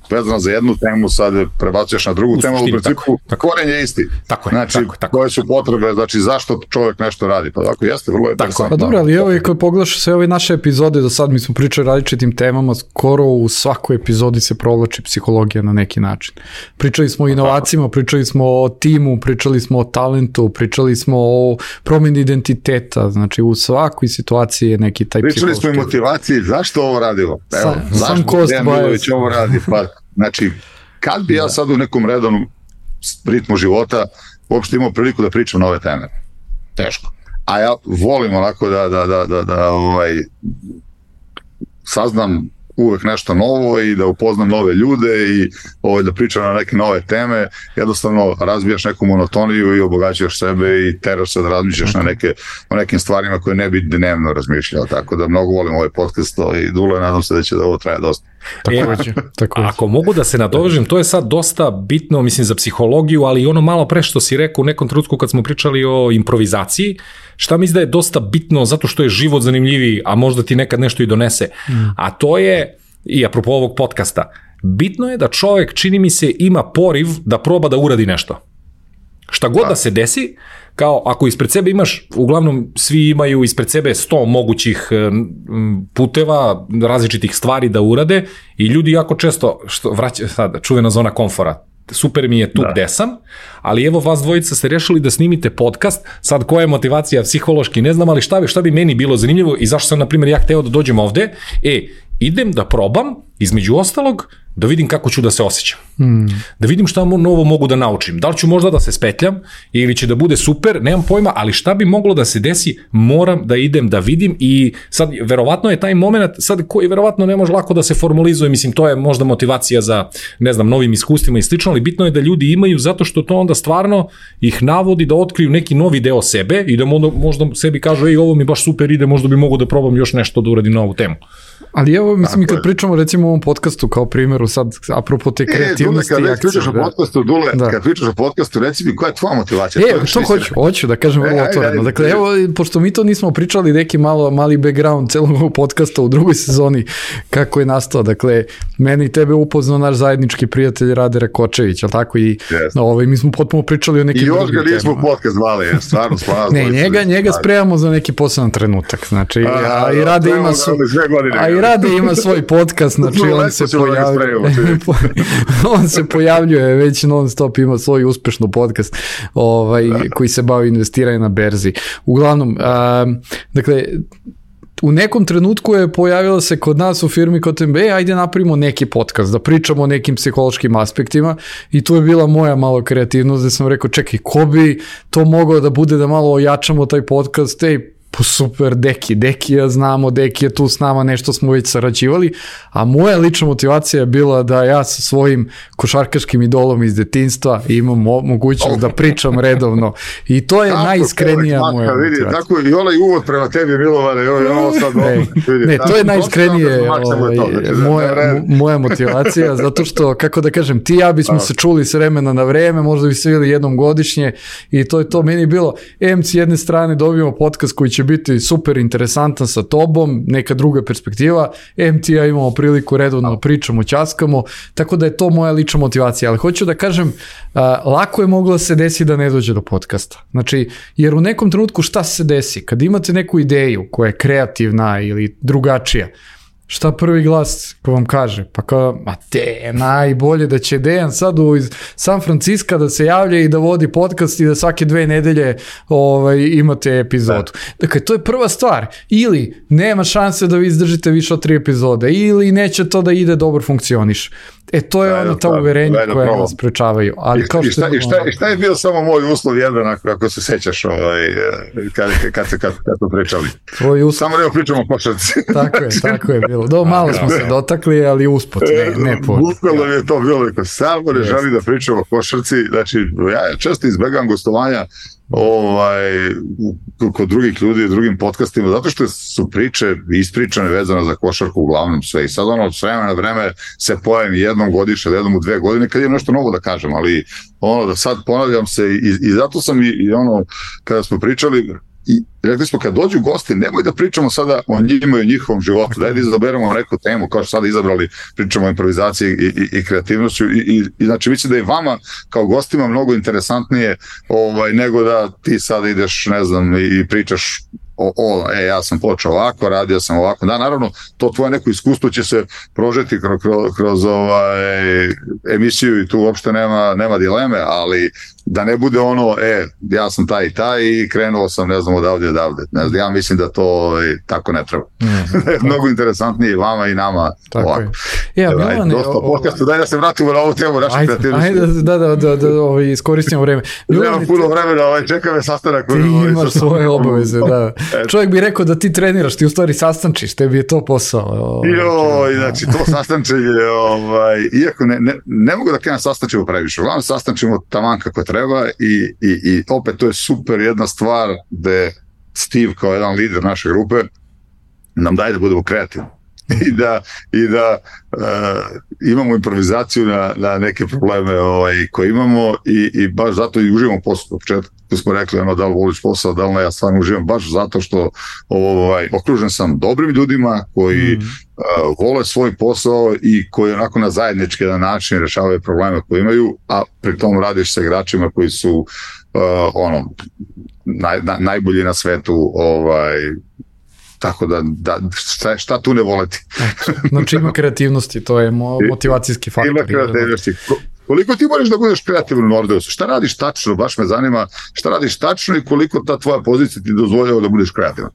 vezana za jednu temu, sad prebacuješ na drugu u temu, u principu tako, tako. Koren je isti. Tako je, znači, tako, tako. koje su potrebe, znači zašto čovjek nešto radi. Pa tako jeste, vrlo je interesantno. Pa dobro, ali evo i kad pogledaš sve ove naše epizode do sad, mi smo pričali različitim temama, skoro u svakoj epizodi se provlači psihologija na neki način. Pričali smo o inovacijama, pričali smo o timu, pričali smo o talentu, pričali smo o promjeni identiteta, znači u svakoj situaciji je neki taj pričali smo i motivaciji, zašto ovo radimo? Evo, sam, zašto Dejan Milović ovo radi? Pa, znači, kad bi ja sad u nekom redovnom ritmu života uopšte imao priliku da pričam na ove teme? Teško. A ja volim onako da, da, da, da, da ovaj, saznam uvek nešto novo i da upoznam nove ljude i ovaj, da pričam na neke nove teme, jednostavno razbijaš neku monotoniju i obogaćaš sebe i teraš se da razmišljaš na neke, o nekim stvarima koje ne bi dnevno razmišljao, tako da mnogo volim ovaj podcast i Dule, nadam se da će da ovo traje dosta. Takođe, e, takođe. Ako mogu da se nadovežem, to je sad dosta bitno, mislim, za psihologiju, ali i ono malo pre što si rekao u nekom trenutku kad smo pričali o improvizaciji, šta mislim da je dosta bitno zato što je život zanimljiviji, a možda ti nekad nešto i donese. Mm. A to je, i apropo ovog podcasta, bitno je da čovjek, čini mi se, ima poriv da proba da uradi nešto. Šta god da se desi, kao ako ispred sebe imaš, uglavnom svi imaju ispred sebe sto mogućih puteva, različitih stvari da urade i ljudi jako često, što vraća sad, čuvena zona komfora, super mi je tu da. gde sam, ali evo vas dvojica ste rešili da snimite podcast, sad koja je motivacija psihološki, ne znam, ali šta bi, šta bi meni bilo zanimljivo i zašto sam, na primjer, ja hteo da dođem ovde, e, idem da probam, između ostalog, da vidim kako ću da se osjećam. Hmm. Da vidim šta novo mogu da naučim. Da li ću možda da se spetljam ili će da bude super, nemam pojma, ali šta bi moglo da se desi, moram da idem da vidim i sad, verovatno je taj moment, sad koji verovatno ne može lako da se formalizuje, mislim, to je možda motivacija za, ne znam, novim iskustvima i slično, ali bitno je da ljudi imaju zato što to onda stvarno ih navodi da otkriju neki novi deo sebe i da možda sebi kažu, ej, ovo mi baš super ide, možda bi mogu da probam još nešto da uradim na ovu temu. Ali evo, mislim, i kad pričamo recimo o ovom podcastu kao primjeru sad, apropo te kreativnosti i akcije. Kad pričaš o podcastu, Dule, da. kad pričaš o podcastu, reci mi koja je tvoja motivacija? E, to hoću, hoću da kažem vrlo otvoreno. Dakle, evo, pošto mi to nismo pričali, neki malo, mali background celog ovog podcasta u drugoj sezoni, kako je nastao. Dakle, meni i tebe upoznao naš zajednički prijatelj Rade Rakočević, ali tako? I yes. ovaj, mi smo potpuno pričali o nekim drugim temama. I još ga nismo podcast zvali, stvarno spavno. Ne, njega, njega spremamo za neki poseban trenutak. Znači, a, a i Rade ima su... A i Rade ima svoj podcast, znači on se pojavljuje, on se pojavljuje već non stop, ima svoj uspešno podcast ovaj, koji se bavi investiranjem na berzi. Uglavnom, a, dakle, u nekom trenutku je pojavila se kod nas u firmi kod M B, e, ajde napravimo neki podcast, da pričamo o nekim psihološkim aspektima i tu je bila moja malo kreativnost, da sam rekao, čekaj, ko bi to mogao da bude da malo ojačamo taj podcast, ej, super, Deki, Deki ja znamo, Deki je tu s nama, nešto smo već sarađivali, a moja lična motivacija je bila da ja sa svojim košarkaškim idolom iz detinjstva imam mo- mogućnost da pričam redovno i to je tako, najiskrenija tako, moja vidi, motivacija. Tako i onaj uvod prema tebi, Milovane, ovo sad ne, vidi, ne, to je najiskrenije ovaj, moja, moja motivacija, zato što, kako da kažem, ti ja bismo se čuli s vremena na vreme, možda bi se vidjeli jednom godišnje i to je to meni bilo, em s jedne strane dobijemo podcast koji će biti super interesantan sa tobom, neka druga perspektiva, em ti ja imamo priliku redovno pričamo, ćaskamo, tako da je to moja lična motivacija, ali hoću da kažem, uh, lako je moglo se desiti da ne dođe do podcasta, znači, jer u nekom trenutku šta se desi, kad imate neku ideju koja je kreativna ili drugačija, šta prvi glas ko vam kaže? Pa kao, ma te, najbolje da će Dejan sad u San Francisco da se javlja i da vodi podcast i da svake dve nedelje ovaj, imate epizodu. Dakle, to je prva stvar. Ili nema šanse da vi izdržite više od tri epizode, ili neće to da ide dobro funkcioniš. E, to je ono ta uverenja koja nas prečavaju. Ali kao I, što šta, i, šta, I šta je bio samo moj uslov jedan, ako, ako se sećaš ovaj, kad, kad se kad, kad to pričali? Uslov... Samo da pričamo o košarci. Tako je, tako je bilo. Do, malo smo se dotakli, ali usput, ne, ne po. Bukvalno je to bilo, neko samo ne želi da pričamo o košarci. Znači, ja često izbegam gostovanja ovaj, kod drugih ljudi, drugim podcastima, zato što su priče ispričane vezane za košarku uglavnom sve. I sad ono, s vremena na vreme se pojavim jednom godišnje, jednom u dve godine, kad imam nešto novo da kažem, ali ono, da sad ponavljam se i, i zato sam i, i ono, kada smo pričali, i rekli smo, kad dođu gosti, nemoj da pričamo sada o njima i o njihovom životu, daj da izaberemo neku temu, kao što sada izabrali, pričamo o improvizaciji i, i, i kreativnošću i, i, i znači mislim da je vama kao gostima mnogo interesantnije ovaj, nego da ti sada ideš, ne znam, i pričaš o, o, e, ja sam počeo ovako, radio sam ovako, da, naravno, to tvoje neko iskustvo će se prožeti kroz, kroz, kroz ovaj, emisiju i tu uopšte nema, nema dileme, ali da ne bude ono, e, ja sam taj i taj i krenuo sam, ne znam, odavde, odavde. Ne znam, ja mislim da to e, tako ne treba. Mm, mnogo interesantnije vama i nama tako ovako. Je. Ja, Milane, dosta podcastu, daj da se vratimo na ovu temu. Ajde, ajde da, da, da, da ovaj, iskoristimo vreme. Nemam puno vremena, ovaj, čeka me sastanak. Ti ovaj, imaš svoje obaveze, da. Čovjek bi rekao da ti treniraš, ti u stvari sastančiš, tebi je to posao. Ovaj, Joj, znači, to sastančenje, ovaj, iako ne, ne, ne mogu da kažem sastančimo previše, uglavnom sastančimo taman kako treba i, i, i opet to je super jedna stvar gde Steve kao jedan lider naše grupe nam daje da budemo kreativni i da, i da uh, imamo improvizaciju na, na neke probleme ovaj, koje imamo i, i baš zato i uživamo posao. U početku smo rekli ono, da li voliš posao, da li ne, ja stvarno uživam baš zato što ovaj, okružen sam dobrim ljudima koji mm. uh, vole svoj posao i koji onako na zajednički jedan način rešavaju probleme koje imaju, a pri tom radiš sa igračima koji su uh, ono naj, na, najbolji na svetu, ovaj tako da, da šta, šta tu ne voleti. Znači ima kreativnosti, to je mo, motivacijski faktor. Ima kreativnosti. koliko ti možeš da budeš kreativan u Nordeusu? Šta radiš tačno? Baš me zanima šta radiš tačno i koliko ta tvoja pozicija ti dozvoljava da budeš kreativan?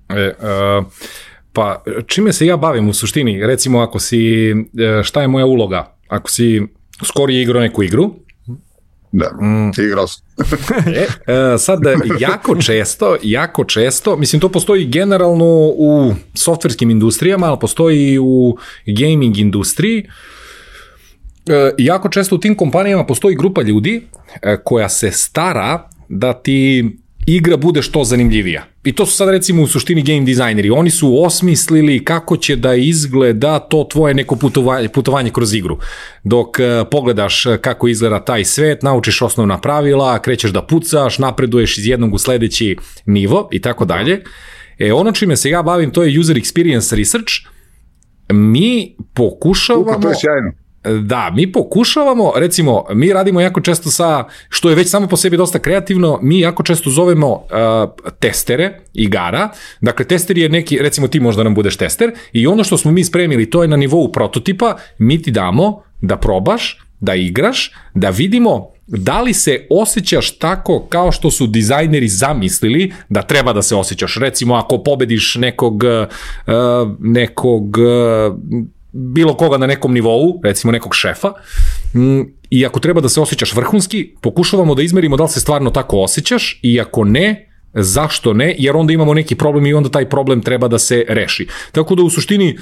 E, uh, pa čime se ja bavim u suštini? Recimo ako si, šta je moja uloga? Ako si skorije igrao neku igru, da, mm. igrao sam. e, e, sad, jako često, jako često, mislim, to postoji generalno u softverskim industrijama, ali postoji i u gaming industriji. E, jako često u tim kompanijama postoji grupa ljudi e, koja se stara da ti igra bude što zanimljivija. I to su sad recimo u suštini game dizajneri. Oni su osmislili kako će da izgleda to tvoje neko putovanje, putovanje kroz igru. Dok uh, pogledaš kako izgleda taj svet, naučiš osnovna pravila, krećeš da pucaš, napreduješ iz jednog u sledeći nivo i tako dalje. E, ono čime se ja bavim, to je user experience research. Mi pokušavamo... Uka, to je sjajno. Da, mi pokušavamo, recimo, mi radimo jako često sa, što je već samo po sebi dosta kreativno, mi jako često zovemo uh, testere igara, dakle tester je neki, recimo ti možda nam budeš tester i ono što smo mi spremili, to je na nivou prototipa, mi ti damo da probaš, da igraš, da vidimo da li se osjećaš tako kao što su dizajneri zamislili da treba da se osjećaš. Recimo, ako pobediš nekog, uh, nekog uh, bilo koga na nekom nivou, recimo nekog šefa, i ako treba da se osjećaš vrhunski, pokušavamo da izmerimo da li se stvarno tako osjećaš i ako ne, zašto ne, jer onda imamo neki problem i onda taj problem treba da se reši. Tako da u suštini,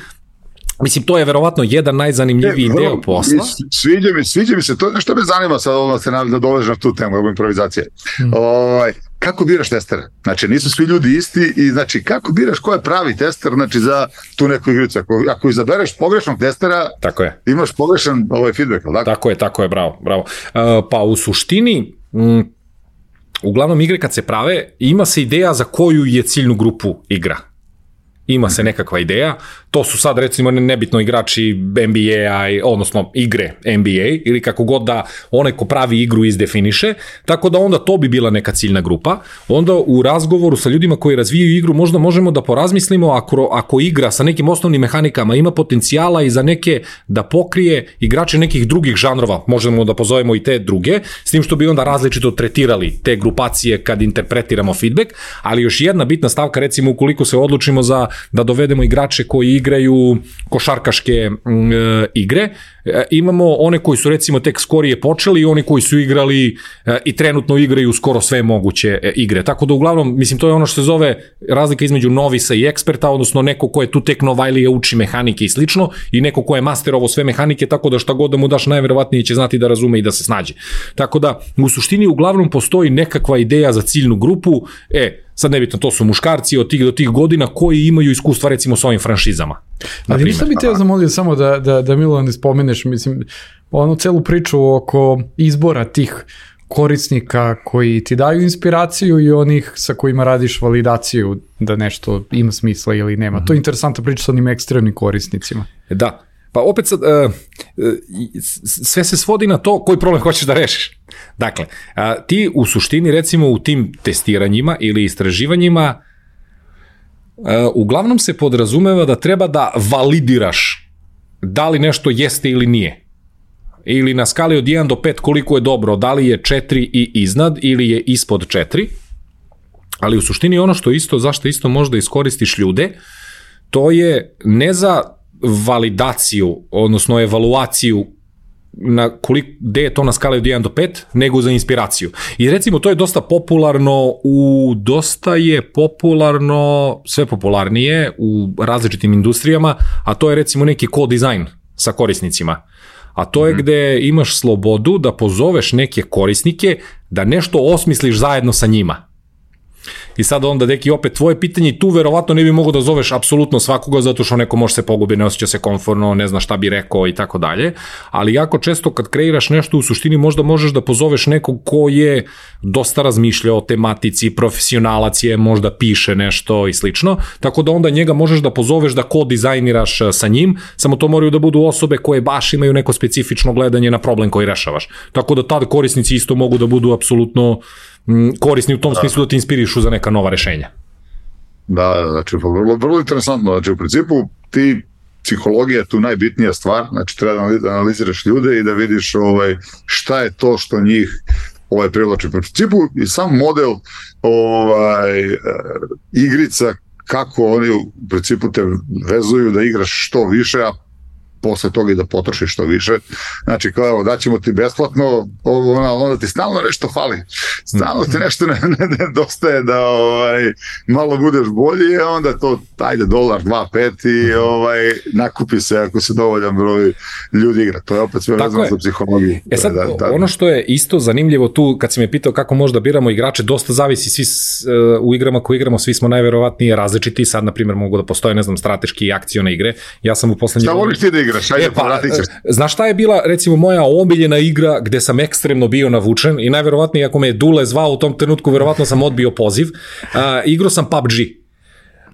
mislim, to je verovatno jedan najzanimljiviji ne, deo posla. Sviđa mi, sviđa mi se, to je nešto me zanima sad ovo da se da dovežem na tu temu, ovo improvizacije. Hmm. Ovaj, kako biraš testere? Znači, nisu svi ljudi isti i znači, kako biraš ko je pravi tester, znači, za tu neku igricu? Ako, ako izabereš pogrešnog testera, tako je. Imaš pogrešan ovaj feedback, ali tako? Tako je, tako je, bravo, bravo. Uh, pa u suštini, m, uglavnom igre kad se prave, ima se ideja za koju je ciljnu grupu igra. Ima se nekakva ideja, to su sad recimo nebitno igrači N B A, odnosno igre N B A ili kako god da onaj ko pravi igru izdefiniše, tako da onda to bi bila neka ciljna grupa. Onda u razgovoru sa ljudima koji razvijaju igru možda možemo da porazmislimo ako, ako igra sa nekim osnovnim mehanikama ima potencijala i za neke da pokrije igrače nekih drugih žanrova, možemo da pozovemo i te druge, s tim što bi onda različito tretirali te grupacije kad interpretiramo feedback, ali još jedna bitna stavka, recimo ukoliko se odlučimo za da dovedemo igrače koji igraju košarkaške mm, e, igre, e, imamo one koji su recimo tek skorije počeli i oni koji su igrali e, i trenutno igraju skoro sve moguće e, igre. Tako da uglavnom, mislim, to je ono što se zove razlika između novisa i eksperta, odnosno neko ko je tu tek novajlije uči mehanike i slično i neko ko je masterovo sve mehanike, tako da šta god da mu daš najverovatnije će znati da razume i da se snađe. Tako da u suštini uglavnom postoji nekakva ideja za ciljnu grupu, e, sad nebitno, to su muškarci od tih do tih godina koji imaju iskustva recimo s ovim franšizama. Ali ništa bi te ja zamolio samo da, da, da Milovan ne spomeneš, mislim, onu celu priču oko izbora tih korisnika koji ti daju inspiraciju i onih sa kojima radiš validaciju da nešto ima smisla ili nema. Mm-hmm. To je interesantna priča sa onim ekstremnim korisnicima. Da. Pa opet sad, uh, sve se svodi na to koji problem hoćeš da rešiš. Dakle, uh, ti u suštini recimo u tim testiranjima ili istraživanjima uh, uglavnom se podrazumeva da treba da validiraš da li nešto jeste ili nije. Ili na skali od jedan do pet koliko je dobro, da li je četiri i iznad ili je ispod četiri. Ali u suštini ono što isto, zašto isto možda iskoristiš ljude, to je ne za validaciju, odnosno evaluaciju na koliko, gde je to na skali od jedan do pet, nego za inspiraciju. I recimo to je dosta popularno u, dosta je popularno, sve popularnije u različitim industrijama, a to je recimo neki co-design sa korisnicima. A to je mm-hmm. gde imaš slobodu da pozoveš neke korisnike da nešto osmisliš zajedno sa njima. I sad onda, deki, opet tvoje pitanje, tu verovatno ne bi mogo da zoveš apsolutno svakoga, zato što neko može se pogubiti, ne osjeća se komfortno, ne zna šta bi rekao i tako dalje, ali jako često kad kreiraš nešto u suštini možda možeš da pozoveš nekog ko je dosta razmišljao o tematici, profesionalac je, možda piše nešto i slično, tako da onda njega možeš da pozoveš da ko-dizajniraš sa njim, samo to moraju da budu osobe koje baš imaju neko specifično gledanje na problem koji rešavaš. Tako da tad korisnici isto mogu da budu apsolutno korisni u tom smislu da ti inspirišu za neka nova rešenja. Da, znači, vrlo, vrlo interesantno. Znači, u principu, ti psihologija je tu najbitnija stvar, znači treba da analiziraš ljude i da vidiš ovaj, šta je to što njih ovaj, privlači. U principu i sam model ovaj, igrica, kako oni u principu te vezuju da igraš što više, a posle toga i da potrošiš što više. Znači, kao evo, daćemo ti besplatno, onda, onda ti stalno nešto fali. Stalno ti nešto ne, ne, ne dostaje da ovaj, malo budeš bolji, a onda to, ajde, dolar, dva, pet i ovaj, nakupi se ako se dovoljan broj ljudi igra. To je opet sve vezano za psihologiju. E sad, da, da, ono što je isto zanimljivo tu, kad si me pitao kako možda biramo igrače, dosta zavisi svi uh, u igrama koje igramo, svi smo najverovatnije različiti. Sad, na primjer, mogu da postoje, ne znam, strateški i akcione igre. Ja sam u poslednji... Šta voliš ti da igraš? Ajde, e, pa, znaš šta je bila, recimo, moja omiljena igra gde sam ekstremno bio navučen i najverovatnije ako me je Dule zvao u tom trenutku, verovatno sam odbio poziv. Uh, igrao sam P U B G.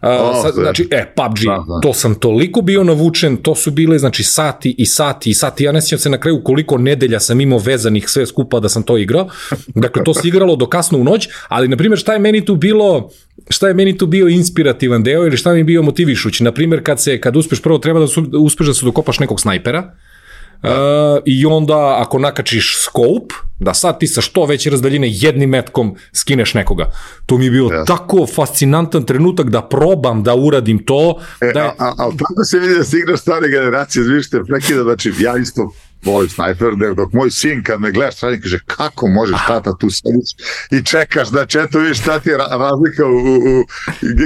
Uh, oh, sad, znači, e, P U B G, da, da. To sam toliko bio navučen, to su bile, znači, sati i sati i sati, ja ne sjećam se na kraju koliko nedelja sam imao vezanih sve skupa da sam to igrao, dakle, to se igralo do kasno u noć, ali, na primjer, šta je meni tu bilo, šta je meni tu bio inspirativan deo ili šta mi je bio motivišući, na primjer, kad se, kad uspeš, prvo treba da su, uspeš da se dokopaš nekog snajpera, Uh, i onda ako nakačiš scope, da sad ti sa što veće razdaljine jednim metkom skineš nekoga. To mi je bio yes. tako fascinantan trenutak da probam da uradim to. E, da je... a, a, a tako se vidi da si igraš stare generacije, zvište, prekida, znači ja isto volim snajper, dok moj sin kad me gledaš strani kaže kako možeš tata tu sediš i čekaš, znači eto vidiš šta ti je razlika u, u, u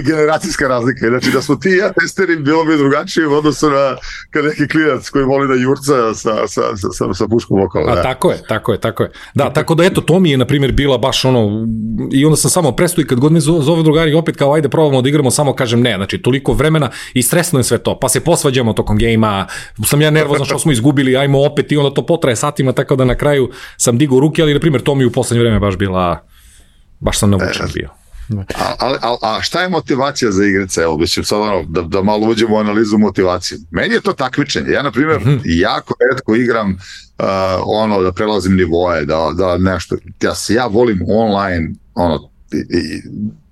generacijska razlika, znači da smo ti i ja testeri bilo bi drugačije u odnosu na kad neki klinac koji voli da jurca sa, sa, sa, sa, sa puškom okolo. A tako je, tako je, tako je. Da, tako da eto, to mi je na primjer bila baš ono, i onda sam samo presto i kad god me zove drugari opet kao ajde probamo da igramo, samo kažem ne, znači toliko vremena i stresno je sve to, pa se posvađamo tokom gejma, sam ja nervozan što smo izgubili, ajmo opet i onda to potraje satima, tako da na kraju sam digao ruke, ali na primjer to mi u poslednje vreme baš bila, baš sam navučen bio. A, a, a, a šta je motivacija za igrice? Evo, mislim sad ono, da, da malo uđemo u analizu motivacije. Meni je to takmičenje. Ja, na primjer, mm-hmm. jako retko igram uh, ono, da prelazim nivoje, da, da nešto, ja, ja volim online, ono, i, i,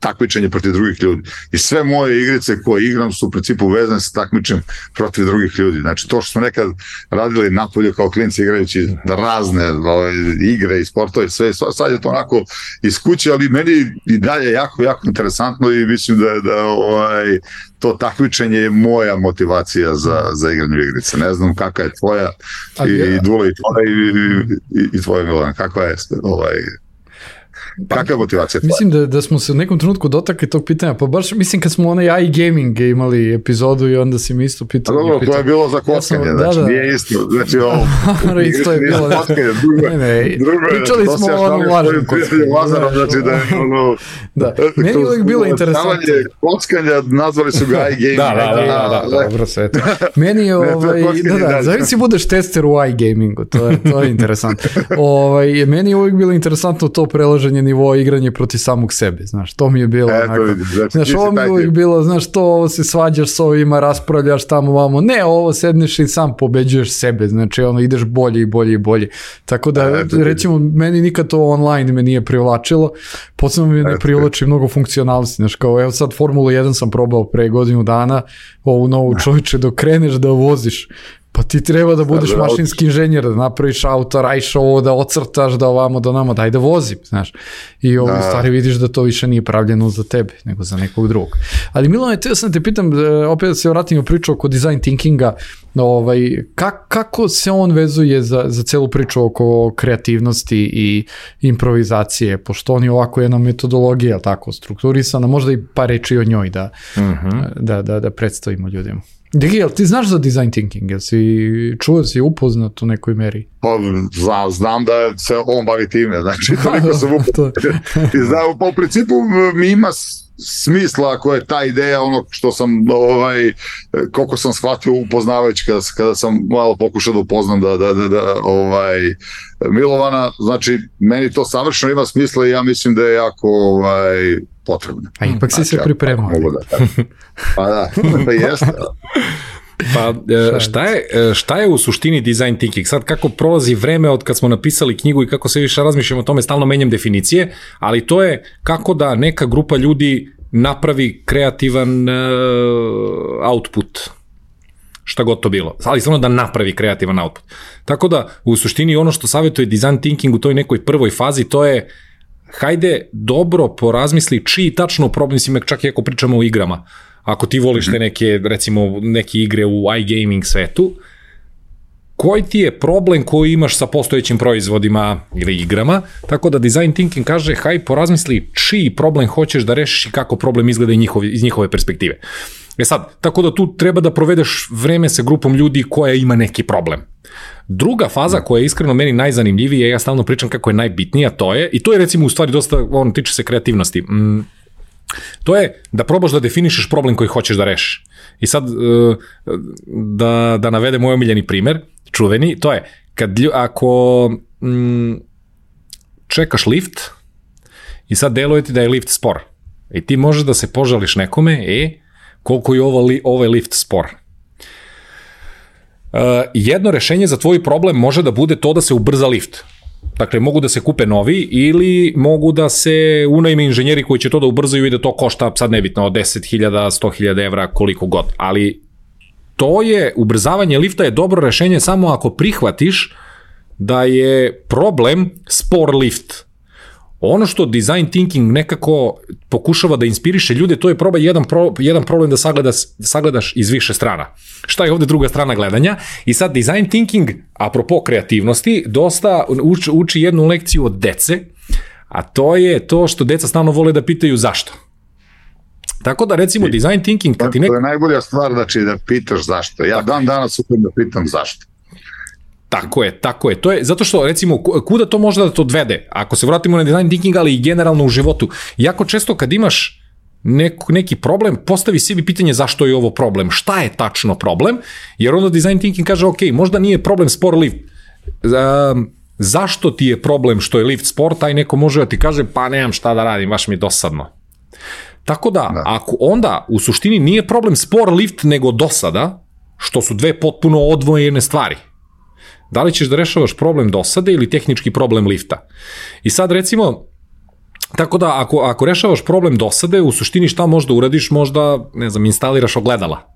takmičenje protiv drugih ljudi. I sve moje igrice koje igram su u principu vezane sa takmičenjem protiv drugih ljudi. Znači to što smo nekad radili napolje kao klinci igrajući razne ove, igre i sportove, sve, sad je to onako iz kuće, ali meni i dalje jako, jako interesantno i mislim da, da ovaj, to takmičenje je moja motivacija za, za igranje igrice. Ne znam kakva je tvoja i, i Dula i tvoja i, i, i tvoja Milan. Kakva je ovaj... Kakva je motivacija? Mislim da, da smo se u nekom trenutku dotakli tog pitanja, pa baš mislim kad smo onaj iGaming imali epizodu i onda si mi isto pitao. Dobro, pitao. To je bilo za kockanje, ja znači da, da. Nije isto. Znači ovo... isto je bilo. Kockanje, drugo, ne, ne, drugo, pričali smo o onom lažnom kockanju. Znači da je ono... Da, meni je uvijek bilo interesantno. Kockanja, nazvali su ga iGaming. Da, da, da, da, dobro sve to. Meni je, ovaj, da, da, zavisi budeš tester u iGamingu, to je, to je interesantno. Ovaj, meni je uvijek bilo interesantno to prelaženje nivoa igranje protiv samog sebe, znaš, to mi je bilo e, onako, vidi, znači, znaš, ovo mi je uvijek bilo, znaš, to ovo se svađaš s ovima, raspravljaš tamo vamo, ne, ovo sedneš i sam pobeđuješ sebe, znači, ono, ideš bolje i bolje i bolje, tako da, e, recimo, meni nikad to online me nije privlačilo, posebno mi ne privlači mnogo funkcionalnosti, znaš, kao, evo sad Formulu jedan sam probao pre godinu dana, ovu novu čovječe, dok kreneš da voziš, pa ti treba da budeš mašinski inženjer, da napraviš auto, radiš ovo, da ocrtaš, da ovamo, da namo, daj da vozim, znaš. I ovo da. Stvari vidiš da to više nije pravljeno za tebe, nego za nekog drugog. Ali Milane, teo sam te pitam, opet da se vratim u priču oko design thinkinga, ovaj, kak, kako se on vezuje za, za celu priču oko kreativnosti i improvizacije, pošto on je ovako jedna metodologija, tako, strukturisana, možda i par reči o njoj da, uh-huh. da, da, da predstavimo ljudima. Digi, jel ti znaš za design thinking? Jel si čuo, si upoznat u nekoj meri? Pa, znam, znam da se on bavi time, znači toliko sam upoznat. I znam, pa u principu mi ima smisla ako je ta ideja ono što sam, ovaj, koliko sam shvatio upoznavajući kada, kada sam malo pokušao da upoznam da, da, da, da ovaj, Milovana, znači meni to savršeno ima smisla i ja mislim da je jako ovaj, potrebno. A ipak si znači, se pripremao. Da, pa da, pa jeste. Pa šta je, šta je u suštini design thinking? Sad kako prolazi vreme od kad smo napisali knjigu i kako se više razmišljamo o tome, stalno menjam definicije, ali to je kako da neka grupa ljudi napravi kreativan uh, output. šta god to bilo, ali samo da napravi kreativan output. Tako da, u suštini ono što savjetuje design thinking u toj nekoj prvoj fazi, to je hajde dobro porazmisli čiji tačno problem, mislim, čak i ako pričamo o igrama, ako ti voliš te neke, recimo, neke igre u iGaming svetu, koji ti je problem koji imaš sa postojećim proizvodima ili igrama, tako da design thinking kaže, haj porazmisli čiji problem hoćeš da rešiš i kako problem izgleda iz njihove perspektive. E sad, tako da tu treba da provedeš vreme sa grupom ljudi koja ima neki problem. Druga faza koja je iskreno meni najzanimljivija, ja stalno pričam kako je najbitnija, to je, i to je recimo u stvari dosta, ono, tiče se kreativnosti, mm, to je da probaš da definišeš problem koji hoćeš da rešiš. I sad, da, da navedem moj omiljeni primer, čuveni, to je, kad, ako mm, čekaš lift i sad deluje ti da je lift spor, i ti možeš da se požališ nekome, e, koliko je ovo li, ovaj lift spor. Uh, jedno rešenje za tvoj problem može da bude to da se ubrza lift. Dakle, mogu da se kupe novi ili mogu da se unajme inženjeri koji će to da ubrzaju i da to košta, sad nebitno, od deset hiljada, sto hiljada evra, koliko god. Ali to je, ubrzavanje lifta je dobro rešenje samo ako prihvatiš da je problem spor lift. Ono što design thinking nekako pokušava da inspiriše ljude, to je probaj jedan, pro, jedan problem da sagledaš, sagledaš iz više strana. Šta je ovde druga strana gledanja? I sad design thinking, apropo kreativnosti, dosta uči, uči jednu lekciju od dece, a to je to što deca stalno vole da pitaju zašto. Tako da recimo design thinking... Kad ti nek... To je najbolja stvar, znači da pitaš zašto. Ja dan danas upijem da pitam zašto. Tako je, tako je. To je zato što, recimo, kuda to može da te odvede? Ako se vratimo na design thinking, ali i generalno u životu. Jako često kad imaš neko, neki problem, postavi sebi pitanje zašto je ovo problem, šta je tačno problem, jer onda design thinking kaže, ok, možda nije problem spor lift. Um, zašto ti je problem što je lift spor, taj neko može da ti kaže, pa nemam šta da radim, baš mi je dosadno. Tako da, da, ako onda u suštini nije problem spor lift nego dosada, što su dve potpuno odvojene stvari. Da li ćeš da rešavaš problem dosade ili tehnički problem lifta? I sad recimo, tako da ako, ako rešavaš problem dosade, u suštini šta možda uradiš, možda, ne znam, instaliraš ogledala.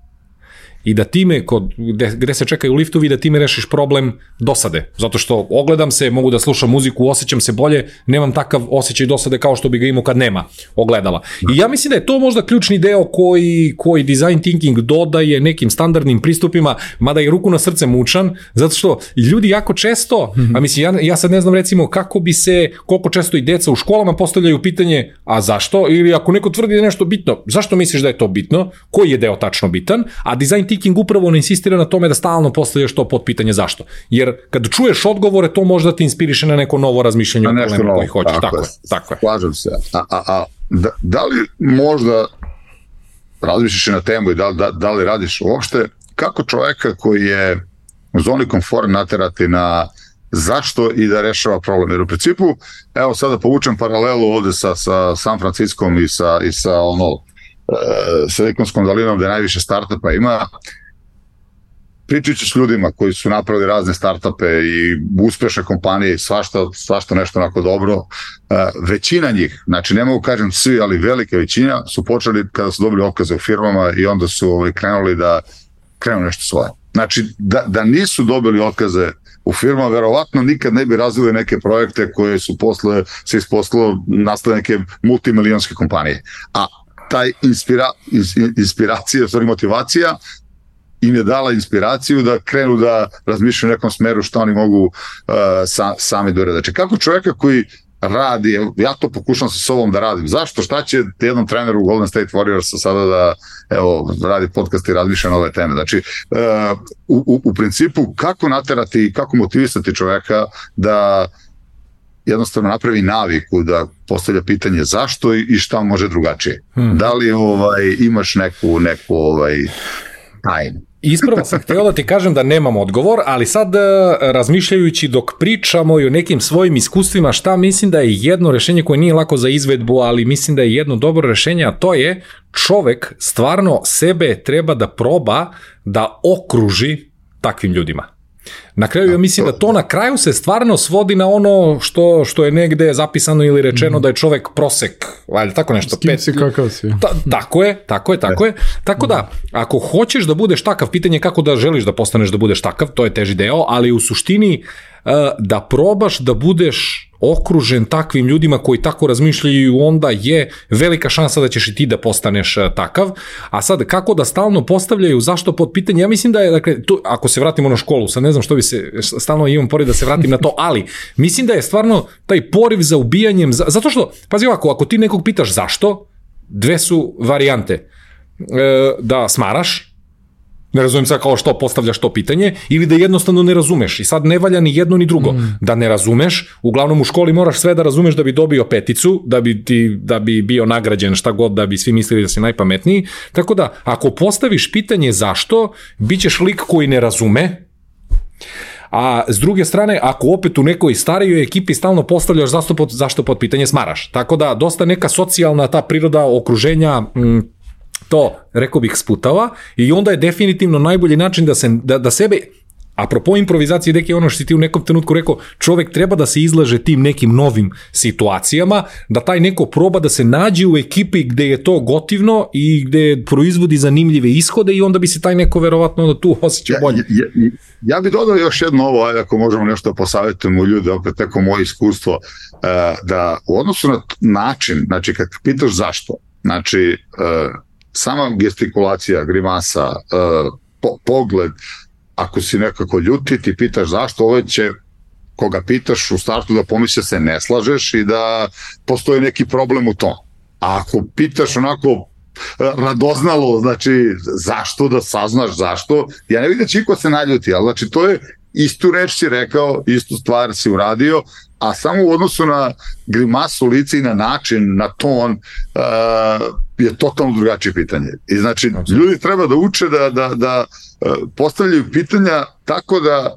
I da time, kod, gde, gde se čekaju liftovi, da time rešiš problem dosade. Zato što ogledam se, mogu da slušam muziku, osjećam se bolje, nemam takav osjećaj dosade kao što bi ga imao kad nema ogledala. I ja mislim da je to možda ključni deo koji, koji design thinking dodaje nekim standardnim pristupima, mada je ruku na srce mučan, zato što ljudi jako često, a mislim, ja, ja sad ne znam recimo kako bi se, koliko često i deca u školama postavljaju pitanje, a zašto? Ili ako neko tvrdi da je nešto bitno, zašto misliš da je to bitno? Koji je deo tačno bitan? A design thinking upravo ne insistira na tome da stalno postavljaš to pod pitanje zašto. Jer kad čuješ odgovore, to možda te inspiriše na neko novo razmišljanje o problemu koji hoćeš. Tako, tako je. Tako je. Slažem se. A, a, a da, da li možda razmišljaš na temu i da, da, da li radiš uopšte, kako čoveka koji je u zoni komfora naterati na zašto i da rešava problem. Jer u principu, evo sada povučem paralelu ovde sa, sa San Franciskom i sa, i sa ono, e, Silikonskom dolinom gde najviše startupa ima. Pričajući s ljudima koji su napravili razne startupe i uspešne kompanije i svašta, svašta nešto onako dobro, većina njih, znači ne mogu kažem svi, ali velika većina su počeli kada su dobili otkaze u firmama i onda su ovaj, krenuli da krenu nešto svoje. Znači da, da nisu dobili otkaze u firmama, verovatno nikad ne bi razvili neke projekte koje su posle se ispostavilo nastale neke multimilionske kompanije. A taj inspira, inspiracija, sorry, motivacija im je dala inspiraciju da krenu da razmišljaju u nekom smeru što oni mogu uh, sa, sami da urade. Znači, kako čovjeka koji radi, ja to pokušam sa sobom da radim, zašto, šta će jednom treneru u Golden State Warriorsa sada da evo, radi podcast i razmišlja na ove teme. Znači, uh, u, u principu, kako naterati, kako motivisati čovjeka da jednostavno napravi naviku da postavlja pitanje zašto i, i šta može drugačije. Hmm. Da li ovaj, imaš neku, neku ovaj, tajnu? Ispravo sam htio da ti kažem da nemam odgovor, ali sad razmišljajući dok pričamo i o nekim svojim iskustvima, šta mislim da je jedno rešenje koje nije lako za izvedbu, ali mislim da je jedno dobro rešenje, a to je čovek stvarno sebe treba da proba da okruži takvim ljudima. Na kraju ja mislim da to na kraju se stvarno svodi na ono što, što je negde zapisano ili rečeno mm. da je čovek prosek, valjda tako nešto. S kim si kakav si. Ta, tako je, tako je, tako je. Tako da, ako hoćeš da budeš takav, pitanje je kako da želiš da postaneš da budeš takav, to je teži deo, ali u suštini da probaš da budeš okružen takvim ljudima koji tako razmišljaju, onda je velika šansa da ćeš i ti da postaneš takav. A sad, kako da stalno postavljaju zašto pod pitanje, ja mislim da je, dakle, tu, ako se vratimo na školu, sad ne znam što bi se, stalno imam poriv da se vratim na to, ali mislim da je stvarno taj poriv za ubijanjem, zato što, pazi ovako, ako ti nekog pitaš zašto, dve su varijante. Da smaraš, ne razumijem sad kao što postavljaš to pitanje, ili da jednostavno ne razumeš. I sad ne valja ni jedno ni drugo. Mm. Da ne razumeš, uglavnom u školi moraš sve da razumeš da bi dobio peticu, da bi, ti, da bi bio nagrađen šta god, da bi svi mislili da si najpametniji. Tako da, ako postaviš pitanje zašto, bit ćeš lik koji ne razume, a s druge strane, ako opet u nekoj starijoj ekipi stalno postavljaš zašto pod, zašto pod pitanje smaraš. Tako da, dosta neka socijalna ta priroda okruženja m, to, rekao bih, sputava i onda je definitivno najbolji način da, se, da, da sebe, apropo improvizacije, deki ono što si ti u nekom trenutku rekao, čovek treba da se izlaže tim nekim novim situacijama, da taj neko proba da se nađe u ekipi gde je to gotivno i gde proizvodi zanimljive ishode i onda bi se taj neko verovatno onda tu osjećao bolje. Ja, ja, ja bih dodao još jedno ovo, ajde ako možemo nešto posavjetujemo ljude, opet neko moje iskustvo, da u odnosu na način, znači kad pitaš zašto, znači sama gestikulacija, grimasa, po, pogled, ako si nekako ljuti, ti pitaš zašto, ovo će, koga pitaš u startu da pomisli se ne slažeš i da postoji neki problem u tom. A ako pitaš onako radoznalo, znači zašto, da saznaš zašto, ja ne vidim da će iko se naljuti, ali znači to je istu reč si rekao, istu stvar si uradio, a samo u odnosu na grimasu lica i na način, na ton, uh, je totalno drugačije pitanje. I znači, ljudi treba da uče da, da, da postavljaju pitanja tako da